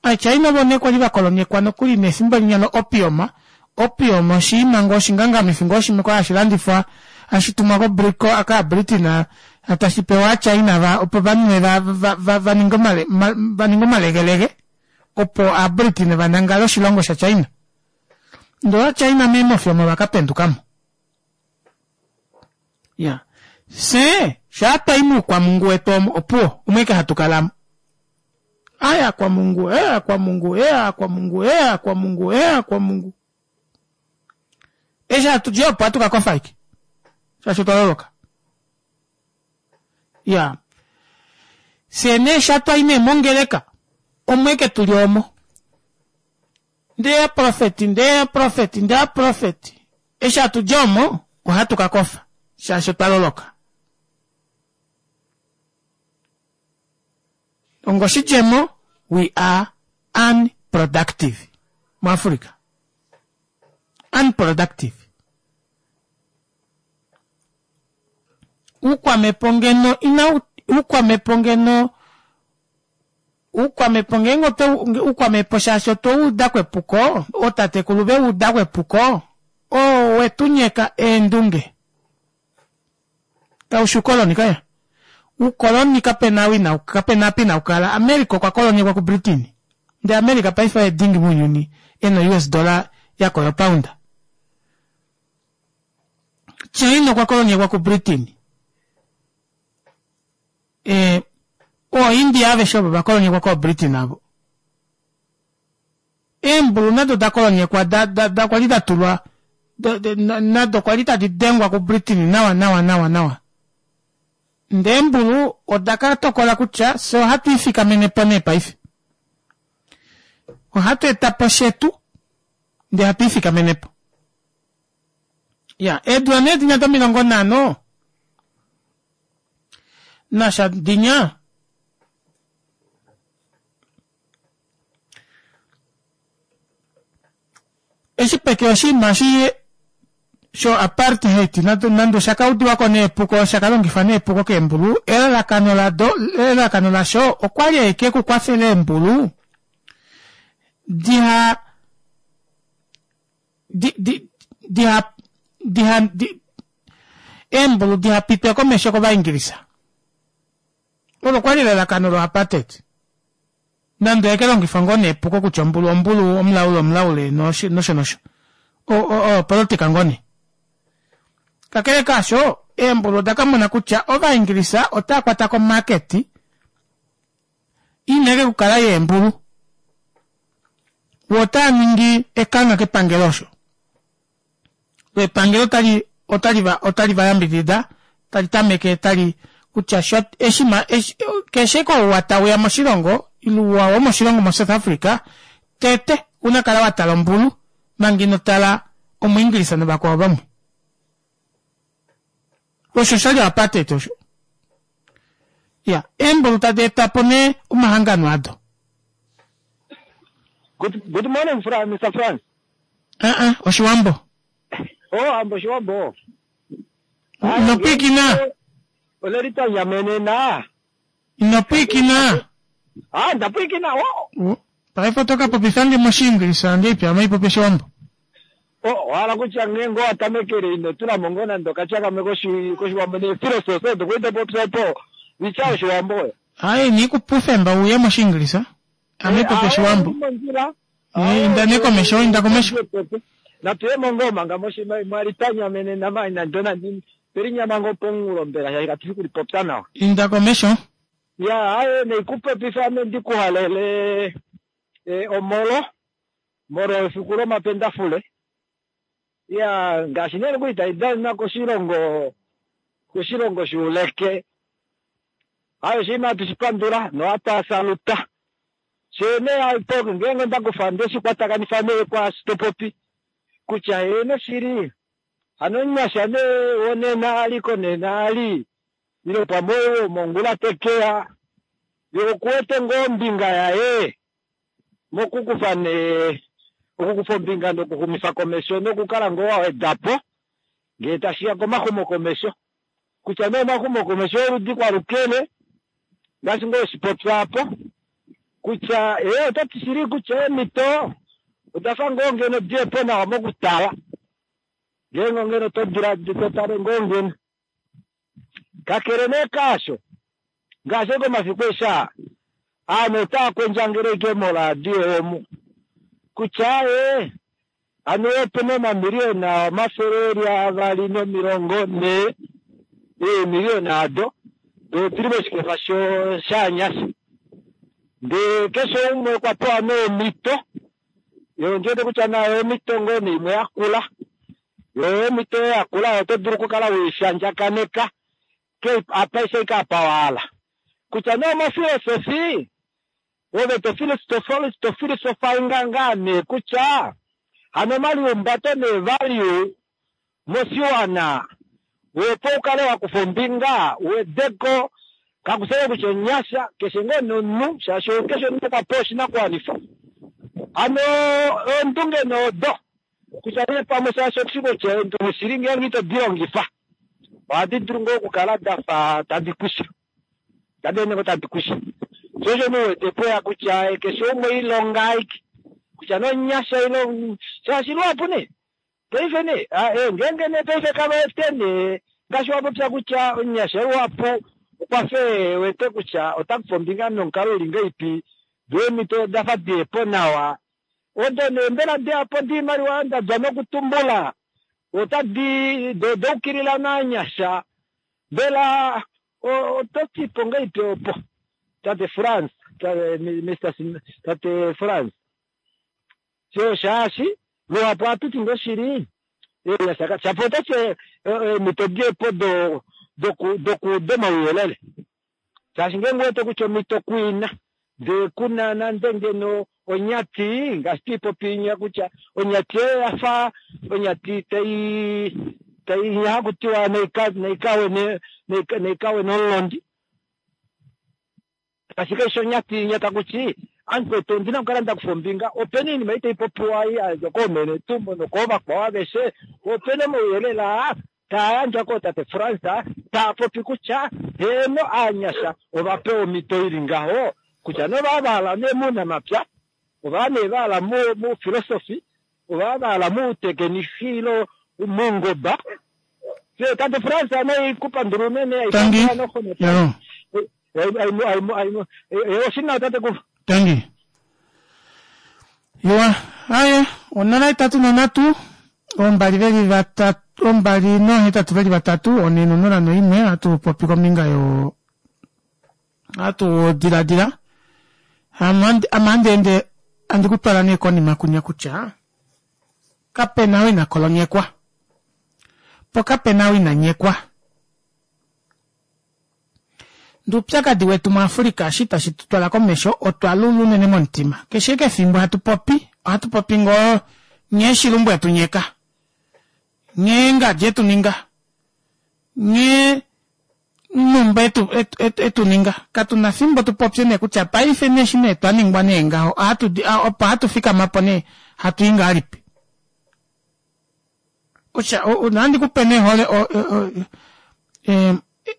Aachina ovo nee kwali vakolonyekwa nokuli nefimbo linya lo opium. Opium oshiima ngoo oshingangamifi ngoo shimwe kwali hashi landifwa hashi tumwa ko kaabritain tashi pewa aachina va opo vanwe va va vaninge omale vaninge omalegelege opo aabritain vanangale oshilongo shachina. Ndee ovachina meemofi omo vakapendukamo. Ya fye shaa twayi muukwamungu wetu omo opuwo omo ashike hatu kalamo. Aya kwa Mungu, ea kwa Mungu, ea kwa Mungu, ea kwa Mungu, ea kwa Mungu. Eshi hatu di opo hatu kakofa ashike. Shaashi otwa loloka. Ya. Fye nee sha twayi nee mongeleka, omo ashike tuli omo. Ndee aprofeti, ndee aprofeti, ndee aprofeti. Eshi hatu di omo, ohatu kakofa. Shaashi otwa loloka. Ongoshidjemo, we are unproductive muAfrica. Unproductive. Uukwamepo ngeno ina uukwamepo ngeno uukwamepo ngeenge oto uukwamepo shaashi otwe uda kwepuko, ootatekulu ve uda kwepuko, oo wetunyeka eendunge. Kaushi ukoloni kaya. Ukoloni kapena wina kapena apa inaukala. America okwa kolonyekwa ku Britain. Ndee America paife oye dingi mounyuni ena U S dollar yakola pound. China okwa kolonyekwa ku Britain. E, oo India aveshe ovo vakolonyekwa ko Britain avo. Eembulu nado da kolonyekwa da, da, da kwali da tulwa nado kwali tadi dengwa ku Britain nawa nawa nawa nawa. Ndee eembulu oda ka tokola kutya fye ohatu ifikamene po nee paife. Ohatu eta po shetu ndee hatu ifikamene po. Ya, eedula nee dinya domilongo nhano nasha dinya eshi peke oshinima eshi sho apartheid nande osha kaudiwako neepuko osha kalongifwa neepuko keembulu, elalakano lado elalakano lasho okwali ashike okukwafela eembulu diha di di diha diha di eembulu diha pitwe komesho kovaingilisa. Olo kwali elalakano lo apartheid. Nande eke longifwa ngoo neepuko kutya ombulu ombulu omulaule omulaule nosho nosho. O politika ngoo nee. Kakele kaasho, eembulu oda ka mona kutya ovaingilisa otaa kwata ko market ineke kukala yeembulu. Wo otaa ningi ekangha kepangelo osho. Epangelo otali otali va otali va yambidida tali tameke tali kutya sho eshi keshe kouwa tauya moshilongo iluwa womoshilongo mo South Africa tete una kala watala ombulu manga ino tala omuingilisa novakwao vamwe. Osho shali apartheid osho. Ya, eembulu tadi eta po nee omahangano ado. Good, good morning, Fra, Mister Frans. Ah ah, Oshiwambo. Oh, ambo Oshiwambo. Inopwikina. Olelita nyamenena. Inopwikina. Ah, ndapwikina. Oh. Paife otoka popifange moshiingilisa ngeipi ame ipopi Oshiwambo. Oh, wala kutya ngengo atamekele ino tula mongo nando kacha kamwe koshi koshiwambo ne philosophy ndo kuita popisa po. Vicha Oshiwambo. Ai ni kupufemba uye moshiingilisa. Ame ipopi Oshiwambo. Inda ne komesho, inda komesho. Na tuye mongo manga moshi mwalitanya mene na mai na ndona ndini. Perinya mango pongulo mbela ya ikatifu popsa nawa. Inda komesho. Ya, aye ne ikupe ame ndikuhalele e, omolo moro efiku lomapendafule. Ya, ngaashi nee nokuli taidana koshilongo koshilongo shuuleke. Ayo oshinima hatu shipandula nohatu saluta. Shene aipo ngeenge ndakufa ndeshikwatakanitha nee kwaashi topopi kutya eno shili hano nyasha nee wonena aliko nena ali ilo pamwe mongula tekeya yo okuwete ngoo ombinga yaye mokukufa nee okukufa ombinga nokuxumifa komesho nokukala ngoo wawedapo ngee tashiya komaxumo komesho kutya nee omaxumo komesho oludi kwalukele ngaashi ngoo oshipopya apo kutya ee otati shili kutya eemhito odafa ngoo ngeno diyepo nawa mokutala ngeenge ngeno todila totale ngoo ngeno kakele nee kaasho ngaashi komafiku esha aanhu otaa kwendjangele ike moradio omu kutya ee ano opena omamiliyona omafele eli avali nomilongo nhee eemiliyona ado dotili moshikefa shanyasha ndee keshe umwe okwa pewa neemhito yo ndiwete kutya nayo omhito ngoo neimwe yakula yo omhito yakula oto dulu okukala weishandjakaneka apa ise apa wahala kutya nee omofilosofi ove tofilosofainga ngaa nee kutya hano omaliumbato neevalue moshiwana opo ukale wakufa ombinga uwedeko Kakusele kutya onyasha keshe ngoo nomunhu shaashi keshe omunhu okwa pewa oshinakuwanifa. Hano eendunge noodo kutya nee pamwe shaashi okushi kutya eendunge shili ngeenge ito di longifa ohadi dulu ngoo okukala dafa tadi kwisha, tadi ende ngoo tadi kwisha. Sho osho nee uwete pweya kutya keshe umwe ilonga aike kutya nonyasha ile shaashi luhapu nee paife nee ngeenge nee paife kava ete nee ngaashi wapopya kutya omunyasha luhapu okwa fe wete kutya ota kufa ombinga nomukalo uli ngahelipi doo eemhito dafa diyepo nawa odo nee mbela diyapo diimaliwa ndadja nokutumbula otadi doukilila naanyasha mbela oto tipo ngahelipi opo tate France Mister tate France sho shaashi luhapu ohatu ti ngoo shili shapo otati eemhito diyepo do doku domauyelele shaashi ngeenge uwete kutya omhito kuina ndee kuna nande ngeno onyati ngaashi twiipopi kutya onyati oyo yafa onyati tai tai hakutiwa naikawe naikawe nomulondi ashike eshi onyati inya takuti amukwetu ondina okukala ndakufa ombinga opena oinima ei taipopiwa yadja koomene tumbo nokoovakwao aveshe opena omauyelele aa taayandjwa kootate France taapopi kutya heeno aanyasha ovapewa omhito ili ngaho kutya nova vahala nee muunamapya ova nee vahala mu philosophy ova vahala muutekenisi ile moungoba. Tate France naikupandula unene. Tangi. Oshina tate kufa. Tangi. Iwa, aye, onola itatu nonhatu, ombali veli vatatu, ombali nohetatu veli vatatu, one nonola noimwe, ohatu popi kombinga yo ohatu diladila ame ohandi ende handi kutwala nee konima kunya kutya kapena ou ina kolonyekwa po kapena ou ina nyekwa. Ndee oupyakadi wetu muAfrica eshi tashi tutwala komesho otwa lula unene momutima. Keshe eke efimbo hatu popi ohatu popi ngoo nghee shilumbu etunyeka, nghee ngadi etuninga, nghee numba etu etuninga. Katuna efimbo tupopye nee kutya paife nee eshi nee twaningwa nee ngaho opo hatu fikamapo nee hatui ngahelipi. Kutya ohandi kupe nee hole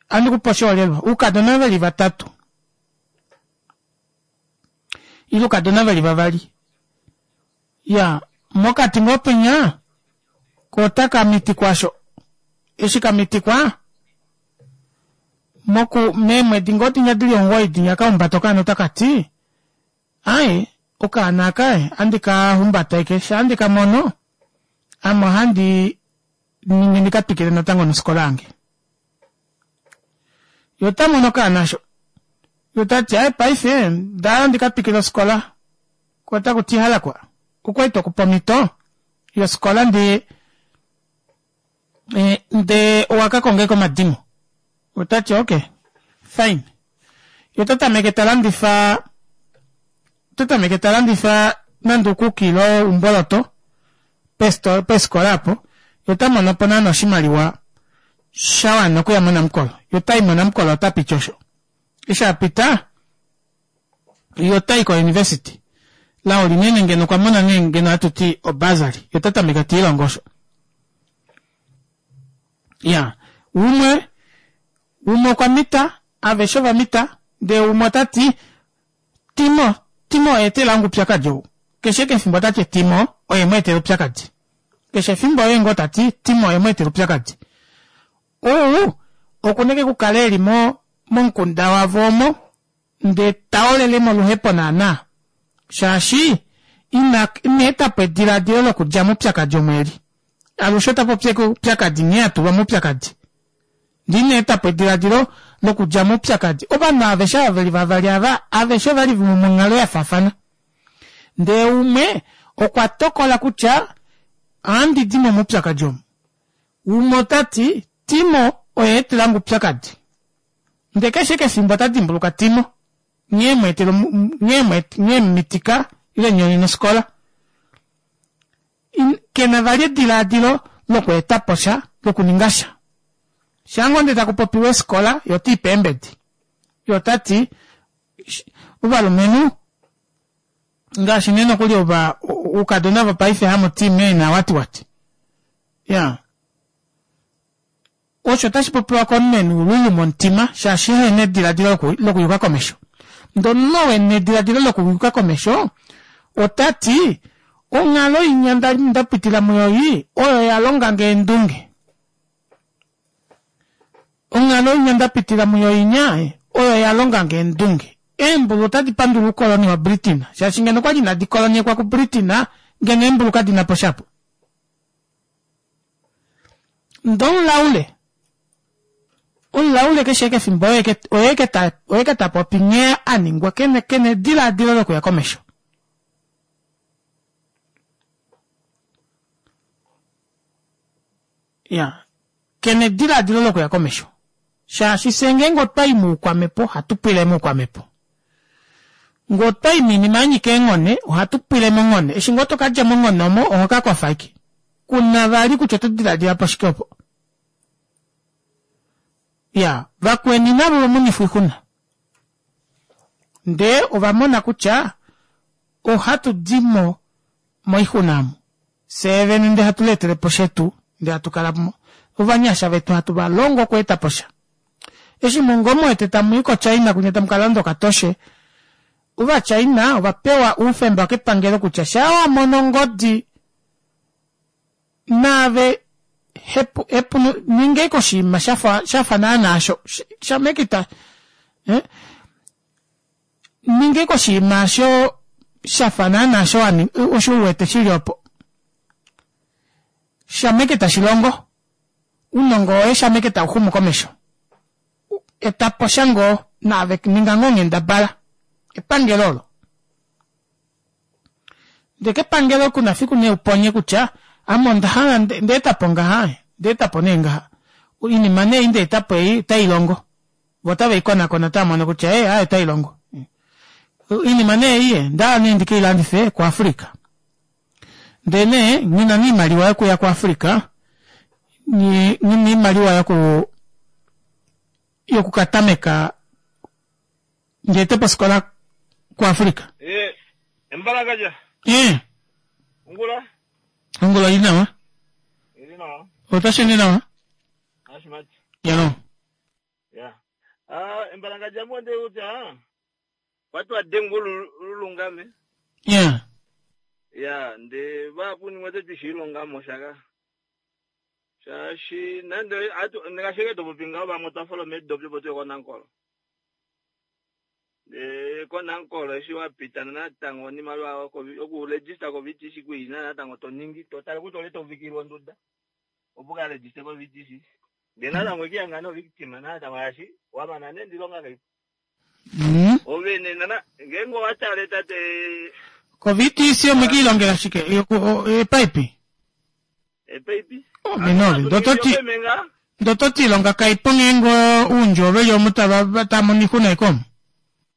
ohandi kupe oshiholelwa oukadona veli vatatu ile oukadona veli vavali iyaa mokati ngoo penya koo otaka mitikwa aasho eshi kamitikwa moku meemwedi ngoo dinya dili omugoyi dinya okahumbata okaana otakati aaye okaana aka ohandi kahumbata ashike shaa ndikamono ame ohandi ningi ndika twikile natango nofikola yange. Yee otamono okaana aasho yee otati aaye paife ondahala ndika twikile ofikola koo otakuti halakwa okwali twekupa omito yofikola ndee ndee owakakonga ashike omadimo otati okay fine yee otatameke talandifa otatameke talandifa nande uukuki ile oumboloto pefikola aapo yee otamonopo naana oshimaliwa shawana okuya monamukolo yee otayi monamukolo otapiti osho eshi apita yee otayi ko university lao linene ngeno okwamona nee ngeno ohatuti o bursary yee otatameke tiilongo osho. Iyaa umwe umwe okwamita aveshe ovamita ndee umwe otati Timo Timo oye etelange oupyakadi ou keshe ashike efimbo otati Timo oye mweetela oupyakadi keshe efimbo oye ngoo tati Timo oye mweetela oupyakadi ou okuna ashike okukala eli momukunda wavo omo ndee taolele moluhepo naana shaashi ina etapo edilaadilo lokudja moupyakadi omo eli alushe otapopi ashike oupyakadi nghee atulwa moupyakadi ndee ina etapo edilaadilo lokudja moupyakadi ovanhu aveshe ava veli vavali ava aveshe ovali monghalo yafaafana ndee umwe okwa tokola kutya ohandidimo moupyakadi omu umwe otati Timo oye aetelange oupyakadi ndee keshe ashike efimbo otadimbuluka Timo nghee emweetela nghee emumitika ile emunyonena ofikola kena vali edilaadilo lokweetaposha lokuningasha shaangoo ndee takupopiwa eefikola yee otiipe eembedi Ye ota ti ovalumenhu ngaashi nee nokuli ova oukadona vopaife hamu ti meena wati wati. Ya. Osho otashi popiwa komunhu ena oululu momutima shaashi ehena edilaadilo lokuyuka komesho. Ndee omunhu ou ena edilaadilo lokuyuka komesho otati onghalo inya ndapitila muyo ei oyo yalongange eendunge. Onghalo inya ndapitila muyo inya oyo yalongange eendunge. Eembulu otadi pandula oukoloni wa Britain shaashi ngeno okwali inadi kolonyekwa ku Britain ngeno eembulu kadinapo shapo. Ndee omulaule omulaule keshe kefimbo oye tapopi nghee aningwa kena edilaadilo lokuya komesho. Iya kena edilaadilo lokuya komesho shaashi fyee ngeenge otwayi moukwamepo ohatu pwile moukwamepo. Ngee otwayi moinima yanyika eenghone ohatu pwile monghone eshi ngoo tokadja monghone omo ohokakofa ashike kuna vali kutya oto dilaadilapo shike opo. Iyaa vakweni navo ovamonifwa oixuna ndee ovamona kutya ohatu dimo moixuna omu fyee vene ndee hatu leetelepo shetu ndee hatukala ovanyasha vetu hatu valongo okweetaposha. Eshi ngoo muwete tamuyi ko china kwinya tamukalanda okatoshe ova china ovapewa oufemba kepangelo kutya shaa wamono ongodi naave ninga ashike oshinima shafa naana aasho shamekita ninga ashike oshinima aasho shafa naana osho osho uwete shili opo shama ashike tashilongo ounongo woye shama ashike tauxumu komesho etaposha ngoo naave ninga ngoo onghendabala epangelo olo ndee kepangelo kuna fiku nee uponye kutya ame ondahala ondaetapo ngaha ondaetapo nee ngaha oinima nee ei ndaetapo ei otailongo voo otaveikonakona otavamono kutya ee aaye otailongo oinima nee ei ondahala nee ndikeilandife ku africa ndee nee nghina nee oimaliwa yokuya ku africa nghina oimaliwa yoku yokukatameka ndeetepo ofikola ku africa. Eh, embalakaja. Eh. Ongula. Ongula ili nawa. Ili nawa. Otasheende nawa? Ashimati. Yalo. Ya. Ah, embalakaja mwende uta. Watu wadengu lulungame. Yeah. Ya, nde vapu nimwe tishilonga moshaka. Shaashi nande atu ngashike topopi ngaho vamwe otwa meedopi opo tuye koNankolo. Ndee koNankolo eshi wapita natango oimaliwa okuregister ko V T C kuina natango toningi totale kutya ole tovikilwa onduda opo ukaregister ko V T C. Ndee natango ekiyanga no victim natango shaashi wamana nee ndilonga kaipo. Mm. Ovene nana ngeenge owatale tate Ko V T C omwekiilongela shike? Epaipi? Epaipi? Ove nove. Ndototi ndototi ilonga kaipo ngeenge uundjuwo veli omu tava tamono oixuna ashike omu.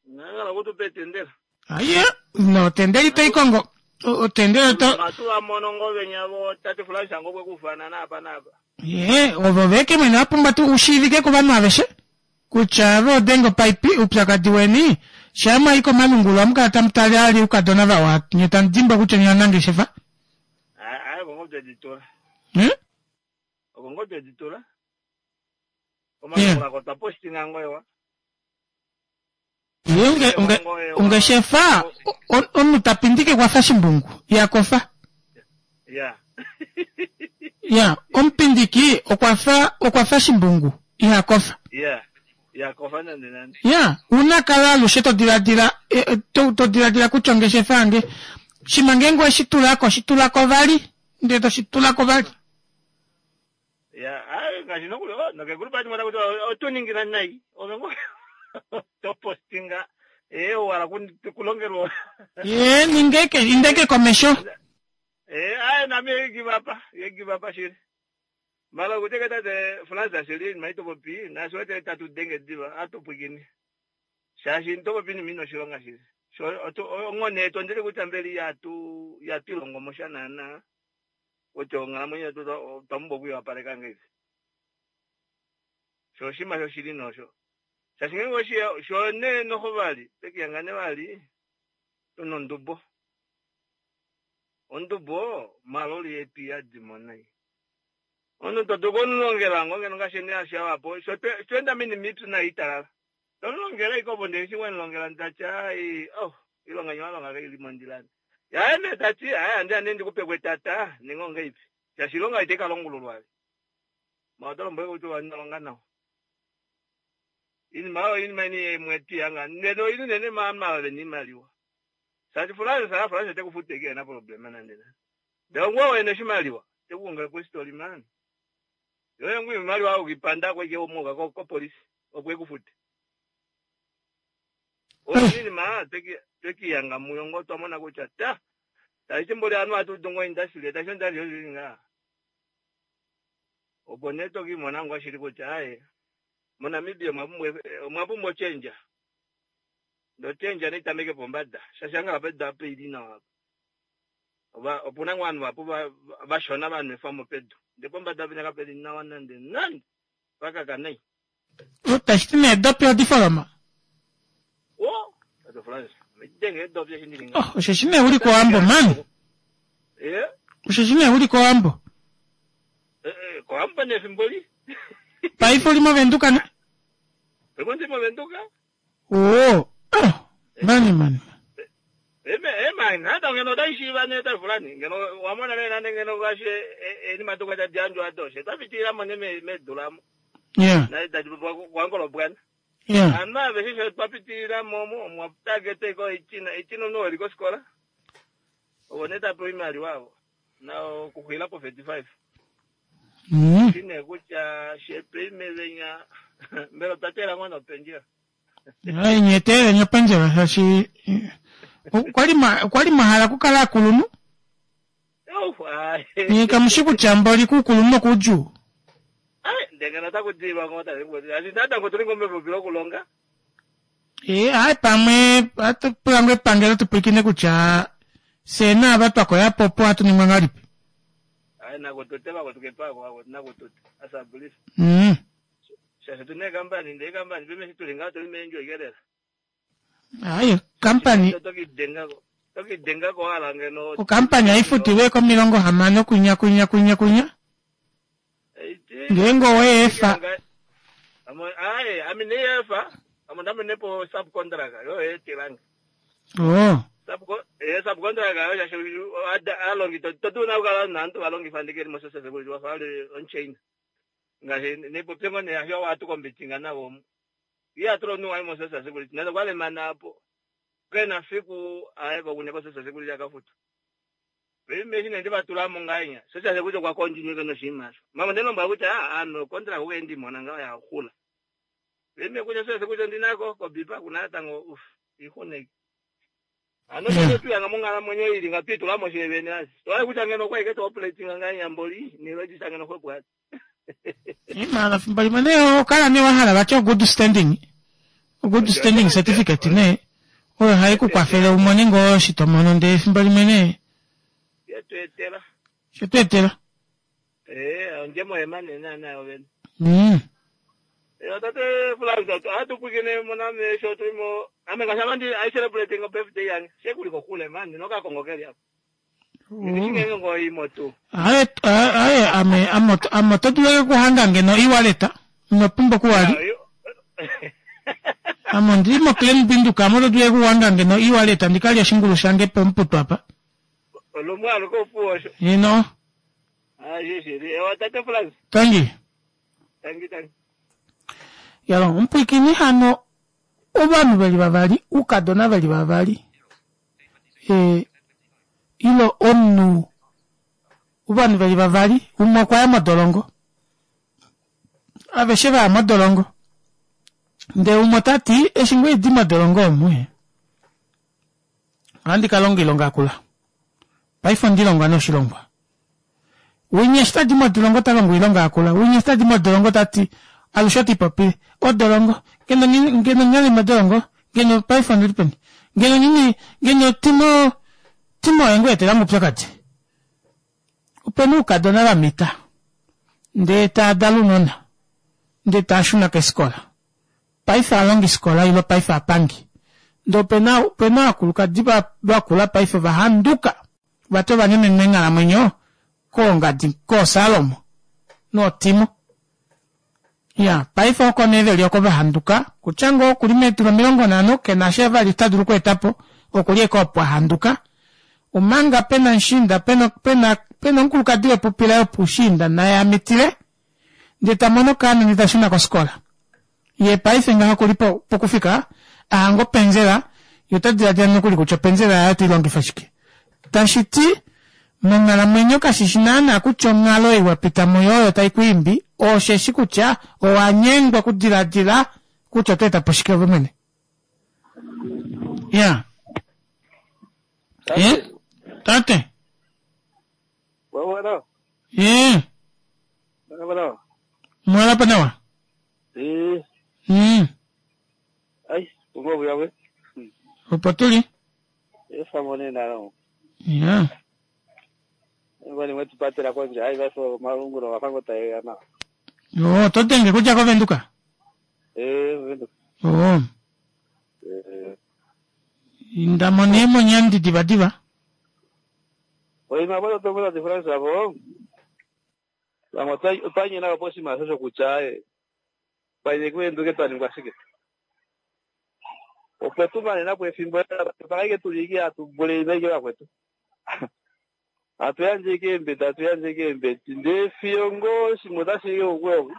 Ngala kutupa etendela. Aye, no tendela ito ikongo. Otendela oto Matu vamono ngo venya vo tate Fulansha ngo kwekufana napa napa. Ye, ovo veke mwene vapumbwa tu ushiivike kovanhu aveshe kutya ove odenga opaipi oupyakadi weni shaa mwayi komalungula ohamu kala tamu tale ali oukadona vawa nye tamu dimbwa kutya nye ovanangeshefa. Aye, oko ngo tweditula. Hmm? Oko ngo tweditula. Komalungula ko twa postinga ngo ewa. Ye unge, unge, ungeshefa omunhu tapindike kwafa shimbungu ihakofa. Ya. Ya, omupindiki okwafa okwafa shimbungu ihakofa. Ya. Ihakofa nande nande. Ya, una kala alushe to diladila to, to diladila kutya ongeshefa yange shima ngeenge oweshi tulako shitulako vali ndee toshitulako vali. Ya, ai ngaashi nokuli oh, nokegulu pati mota kutya oto ningi nai ove ngo to postinga eh wala kulongelwa. Ye ningeke indeke komesho. Eh ai nami give up ye give up shili. Mala kuteka tate Francis shili maito popi na swete tatu denge diva atupwikini. Shaashi ntopopi ni mino shilonga shili. So ongone tondele kutya mbeli yatu yatilongo moshanana. Kutya onghalamwenyo yetu twamumbo okuyowapaleka ngeifi. Sho oshinima shoshili nosho. Shaashi ngeenge oshiya sho nee noho vali twekiyanga nee vali tuna ondubo. Ondubo maloli yetu iyadimo nai. Omunhu to dulu okumulongela ngoo ngeno ngaashi nee ashiwapo sho tweenda moinima ipyu nai italala. Tomulongele ashike opo ndee eshi wemulongela tati ai oh iilonga nye walonga kaili mondjila. Yaye nee tati aye andiya nee ndikupeko etata ninga ongeipi shaashi iilonga itai kalongululwa. Ma oto lombwele kutya inolonga nawa. Iinima oyo iinima imwe twiyanga ndele oili unene maanhu ava vena iimaliwa. Shaashi Florence a Florence ote kufuta ashike kena problema nande nande. Ndele ongoye wene oshimaliwa te kuongele kwistory man. Yoye ngoo iimaliwa ukipandako ashike omuuka kopolisi opo ekufute. Oyo iinima twekiyanga muyo ngoo twamona kutya ta tashi mboli ovanhu ohatu udu ngoo industry tashi industry oshili ngaa. Opo nee tokimona ngoo shili kutya aaye moNamibia omwa pumbwa ochendja. Ndee ochendja naitameke pombada shaashi hangala pedu apa ili nawa apa. Opuna ngoo ovanhu vahapu vashona vanwefwamo pedu ndee pombada penya kapeli nawa nande nande pakaka nai. Tashi ti nee eedopi odi foloma? Oh, Tate Frans, denge eedopi eshi ndili ngaho. Oh, osheshi nee uli kOwambo man. Eh? Osheshi nee uli kOwambo. Eh, eh, kOwambo nee efimbo li. Paife uli mOvenduka ne? Paife ndi mOvenduka. Oo, oh, mani mani. Eme, ema, nada ngeno otai shiiva nee Tate Frans, ngeno wamona nee nande ngeno ngaashi eenima doka tadi yandjwa ado, she twa mo nee medu lamo. Yeah. Na tadi kwangolo bwana. Yeah. Anu aveshe sho twa pitilila mo omo, omwa target ko ichina, ichina omunhu weli kofikola. Ovo nee tapewa iimaliwa avo. Na okuxwila po thirty-five. Mm. Shine kutya shepe venya mbela otwa teela ngoo nopendjela. Ai, nye teeleni opendjela shaashi okwali mwa okwali mwa hala okukala akulunhu. Ouf, ai. Nye kamushi kutya mboli kuukulunhu okuudjuu. Ai, ndenge otaku diilwa ngoo tate Ngwedi. Asi natango tuli ngoo mepupi lokulonga. Eh, ai pamwe ohatu pula ngoo epangelo tupwilikine kutya fyee naava twakoyapo opo ohatu ningwa ngahelipi. Ai nakutute vakotukepako ako nakutute asabulisa. Mm. Shaashi tuna eekampani ndee eekampani paife eshi tuli ngaho tuli meendjo ikelela. Ai, okampani Tokidengako tokidengako wala ngeno. Okampani haifutilwe komilongo hamano kunya kunya kunya kunya. Ngeenge oweefa. Ai, ami neefa, amo ndamenepo subcontract yo eetilange. Oh. Subco eh subcontract yo shaashi alongi totuna okukala naantu valongifa ndike mo social security wafa ali on chain. Ngaashi nipopye ngoo nee asho watu kombitinga navo omu. Iye atula omunhu waye mo social security nande okwalemana apo. Kena fiku aye kokunya ko social security akafuta. Paife eshi nee ndivatulamo ngahenya social security okwa continue ke noshinima osho. Mama ndelombwela kutya ame contract oku ndimona ngaho yaxula. Paife kutya social security ondinako kobipa kuna natango uf ixuna. Ano yeah. Tuyanga monghalamwenyo ili nga twitulamo shevene asi. Tohale kutya ngeno okwa ike to operating ngahenya mboli ni register ngeno xwepo ati. Mala fimbo limwe nee okala nee wahala vati o good standing. O good standing certificate nee oyo hai ku kwafele umone ngoo eshi to mono ndee efimbo limwe nee Shetu etela. Shetu etela. Eh, ondjemo yemane naana yovene. Mm. Eh, tate Florence, ohatu pwikine moname sho tulimo ame ngaashi ame ndi I celebrating birthday yange. Shekuli kokule man, nokakongo keli apa. Ndishingenge ngoo imo tuu. Aye, aye ame ame ame oto dulu okuhanga ngeno e-wallet ino pumbwa okuwali. Ame ondili moClan Windhoek ame oto dulu okuhanga ngeno e-wallet ndikalye oshingulu shange pomuputu apa. Olumwe aluke opuwo osho. Ino. Ah, shishili. Ewa tate Florence. Tangi. Tangi tangi. Yalo, omupwiikini hano ovanhu veli vavali, oukadona veli vavali. E, ilo omunhu ovanhu veli vavali, umwe okwa ya modolongo. Aveshe vaya modolongo. Ndele umwe ota ti eshi ngoo idi modolongo omu ohandi ka longa oilonga yakula. Paife ondilonga noshilongwa. Winya eshi tadi modolongo ota longo oilonga yakula. Winya eshi tadi modolongo tati alushe oti popile odolongo ngeno ngeno nyali modolongo ngeno paife ondili peni ngeno nini ngeno timo timo oye ngoo etelange oupyakadi. Opena oukadona vamita ndee taadala ounona ndee taashuna keefikola. Paife alongiskola ilo paife apangi. Ndee opena opena ovakulukadi vakula paife ovahanduka vati ovanemenwa eenghalamwenyo koongadi kooSalomo nootimo. Iyaa paife oko nee veli oko vahanduka kutya ngoo okuli meedula omilongo nhano kenasha vali tadulu okweetapo okuli ashike opo ahanduka omanga pena mushiinda pena pena omukulukadi wepupi laye opoushiinda naye amitile ndee tamono okaana ndee tashuna kofikola yee paife ngaha okuli pokufika ahanga opendjela yee otadilaadila nokuli kutya opendjela yaye oteilongifa shike tashiti monghalamwenyo kashishi naana kutya onghalo ei wapita muyo oyo taikwiimbi osheshi kutya owanyengwa okudilaadila kutya otweetapo shike ove mwene. Iya eh tate Wawala. Eh Wawala. mwalapa nawa. Eh. Mm. Ai, ungovu yawe. Opo tuli. Efamone nalo. Iya. Ngwani wetu patela konje ai vaso malungulo wafango tayana. Yo, oto denge kudja koVenduka? Eh, Venduka. Oh. Eh. Inda mo nee monyandi divadiva. Oima bado tongola diferença avo. Vamwe otwa nyina po oshinima osho kutya eh panye kuvenduke twa ningwa shike. Opo tu manena po efimbo pakaike tuli ike hatu vule ike vakwetu. Hatu yandje ike eembedi, hatu yandje ike eembedi. Ndee fiyo ngoo shimwe otashi i oku oku.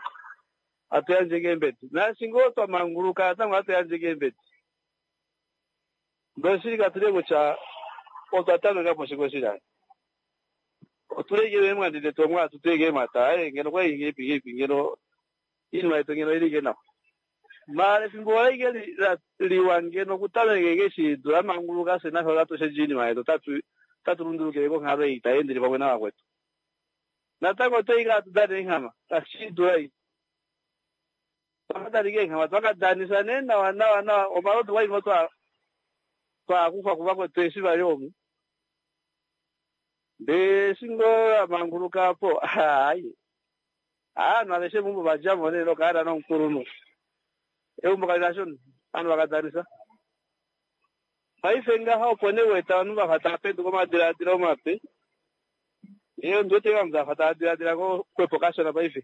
Hatu yandje ike eembedi. Naashi ngoo twa manguluka natango hatu yandje ike eembedi. Ndoshili katule kutya otwa tameka po shike oshili. Otule ike meemwandi detu omo hatu tu ike eemhata, aye ngeno okwali ngeipi ngeipi ngeno oinima yetu ngeno oili ike nawa. Maala efimbo ola ike liwa ngeno okutameka ike eshi dula manguluka fye nafye otatu shendje oinima yetu otatu otatu lundulukile konghalo ei tai endele pamwe navakwetu. Natango otwa ike hatu dana eenghama, kashi dula ei. Twakadanike eenghama, twakadanisa nee nawa nawa nawa, omalodu kwali ngoo twa twakufwa kuvakwetu eshi vali omu. Ndee eshi ngoo amanguluka apo, ayi. Aanhu aveshe meumbo vadjamo nee nokaana nomukulunhu. Eumbo kali na sho ovanhu vakadanisa. Paife ngaha opo nee wete ovanhu vafa tava penduka omadilaadilo mape. Ee ondi wete ovanhu vafa tava dilaadila ngoo xwepo kashona paife.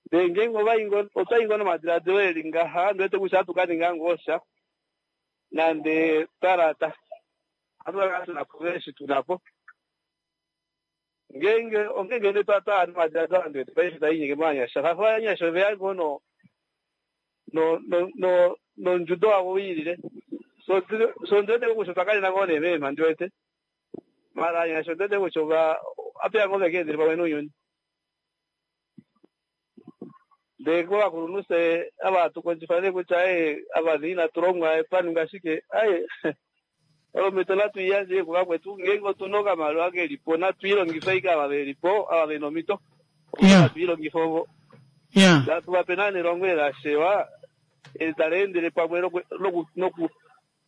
Ndee ngeenge ovai ngoo otwai ngoo nomadilaadilo eli ngaha ondi wete kutya ohatu kaninga ngoo sha nande twalata. Ohatu kakala tunapo eshi tunapo. Ngeenge ongeenge nee twa twaya nomadilaadilo aa ndi wete paife tainyenge movanyasha. Shaashi ovanyasha oveya ngoo no no no no nondjudo wavo wiilile. So so ndi wete kutya otwa kalela ngoo nee meema ndi wete. Maala ovanyasha ondi wete kutya ova apeya ngoo vekeendele pamwe nounyuni. Ndee kovakulunhu fye ava hatu kondjifa nee kutya ee ava nee inatu longwa twa shike aye omhito natu iyandje kuvakwetu ngeenge otuna okamaliwa kelipo natu ilongife ashike ava velipo ava vena omhito Yeah. natu ilongife ovo Yeah. natu vape naa nelongo lashewa eli tali endele pamwe noku noku noku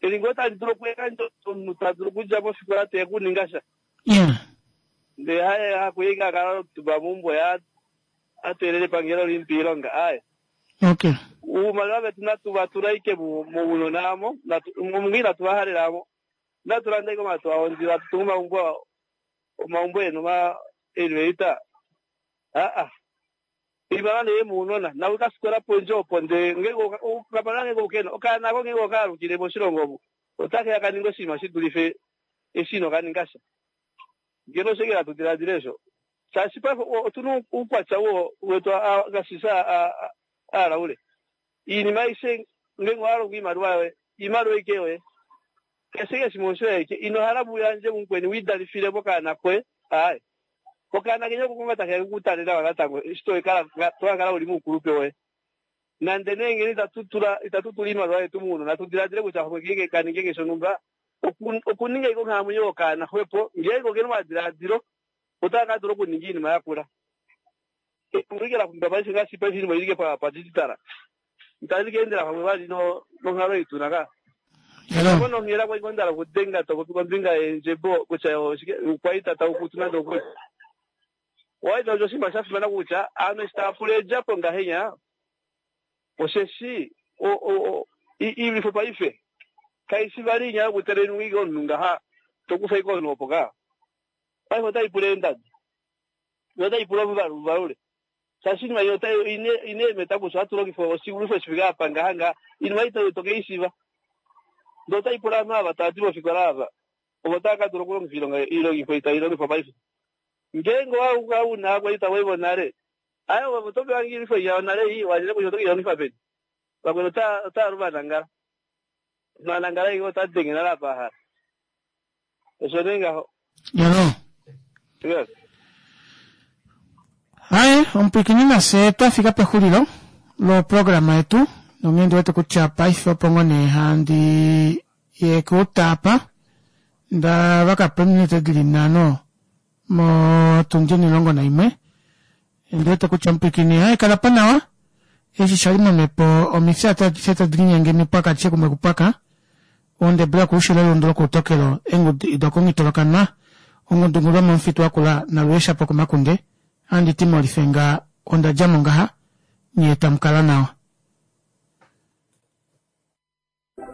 eli ngoo tali dulu okuyandja omunhu ta dulu okudja mofikola teye kuninga sha Yeah. ndee haye hakuye akala omutumba meumbo ya atelele epangelo limpe iilonga aye Okay. uumaliwa vetu natu vatula ike mounona amo mungu inatu vahalela amo natulanda ike omatu awo ndila atutunga omaumbo omaumbo enu ma elevator aa iimaliwa nee muunona nawe kafikola pondje opo ndee ngeenge okamaliwa ngeenge ukena okaana ako ngeenge okaalukile moshilongo omo otakeya kaninga oshinima shidulife eshi inokaninga sha ngeno oshike hatu diladila esho shaashi paife otuna uukwatya wo wetu ngaashi aalaule iinima aishe ngeenge owalongo iimaliwa yoye iimaliwa ike yoye keshe ike shimwe oshoye ike inohala muyandje mukweni wiidalifile mokaana koye aye okaana kenya oko takeya kukutalela natango eshi tokakala uli moukulupe woye nande nee ngeno itatu tula itatu tula iimaliwa yetu muunona tudiladile kutya ngenge kaninge shonhumba okuninga ike onghalamwenyo yokaana xwepo ngeenge okena omadilaadilo otaka kadula okuninga iinima yakula ike la paife ngaashi paife iinima ilike padigital itali keendela pamwe vali nonghalo ei tuna ka Hello. nonghela kwali ngoo okudenga topopi kombinga yeendjebo kutya ukwaita taukutu nande okuli waita osho oshinima sha fimana kutya aanhu eshi tava pula eedjapo ngahenya osheshi Iilwifo paife kaishi vali inya yokutelenwa ike omunhu ngaha tokufa ike omunhu opo kaa. Paife otaipula eendadi yo otaipula omuvalu uvalule shaashi oinima ei ina eemeta kutya ohatu longifa oshilwifo shifike apa ngaha ngaha oinima ei tokeishiva ndee otaipula ovanhu ava tava di mofikola ava ovo tava kadula okulongifa oilongifo ei tailongifwa paife. Ngeenge owakala una ovakwaita voye vonale aye ove otopewa ngoo oilwifo iya yonale ei washile kutya otokeilongifa peni vakweni otaalu vanangala vanangala ashike otadenge nale apa ahala osho nee ngaho. Yalo. Yes. Haye omupwiikini nafye twafika pexulilo loprograma yetu nonghee ndiwete kutya paife opo ngoo nee handi yekuuta apa ndavakapo eminute dili nhano motundi omulongo naimwe ondiwete kutya omupwiikini haye kalapo nawa eshi shali momhepo omifya adishe tadi linyenge mipwaka adishe kumwe kupwaka ondebula koushilo elundu lokoutokelo eengudu dokongitolokanwa ongudu yomomufitu wakula nalueshapo komakunde handiti molifenga ondadjamo ngaha nyee tamukala nawa.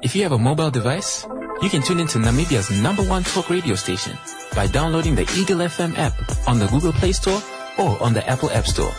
If you have a mobile device, you can tune into Namibia's number one talk radio station by downloading the Eagle F M app on the Google Play Store or on the Apple App Store.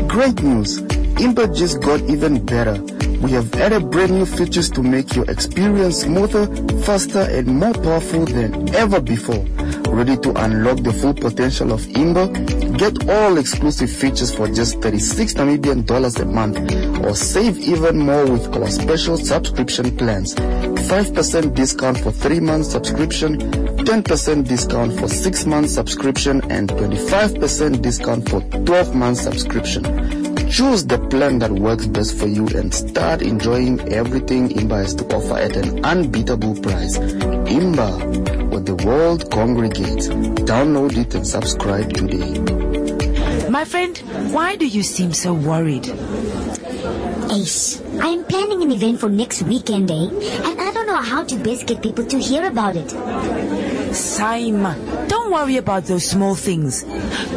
Great news! Imba just got even better. We have added brand new features to make your experience smoother, faster, and more powerful than ever before. Ready to unlock the full potential of Imba? Get all exclusive features for just thirty-six Namibian dollars a month, or save even more with our special subscription plans. five percent discount for three months subscription, ten percent discount for six months subscription, and twenty-five percent discount for twelve months subscription. Choose the plan that works best for you and start enjoying everything Imba has to offer at an unbeatable price. Imba, where the world congregates. Download it and subscribe today. My friend, why do you seem so worried? Ace, I am planning an event for next weekend, eh? And I don't know how to best get people to hear about it. Saima, don't worry about those small things.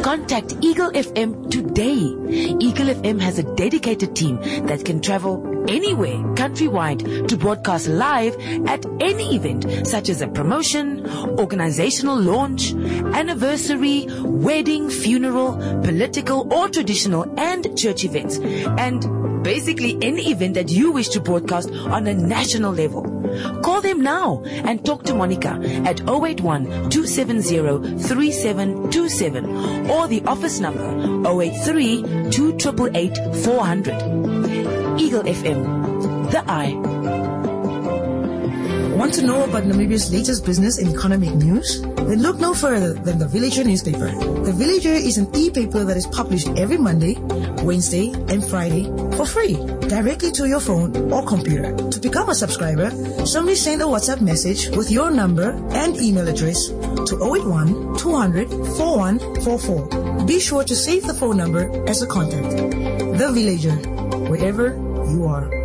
Contact Eagle F M today. Eagle F M has a dedicated team that can travel anywhere countrywide to broadcast live at any event, such as a promotion, organizational launch, anniversary, wedding, funeral, political or traditional and church events, and basically any event that you wish to broadcast on a national level. Call them now and talk to Monica at oh eight one, two seven zero, three seven two seven or the office number oh eight three, two triple eight, four hundred. Eagle F M, the eye. Want to know about Namibia's latest business and economic news? Then look no further than the Villager newspaper. The Villager is an e-paper that is published every Monday, Wednesday, and Friday for free, directly to your phone or computer. To become a subscriber, simply send a WhatsApp message with your number and email address to oh eight one, two hundred, four one four four. Be sure to save the phone number as a contact. The Villager, wherever you are.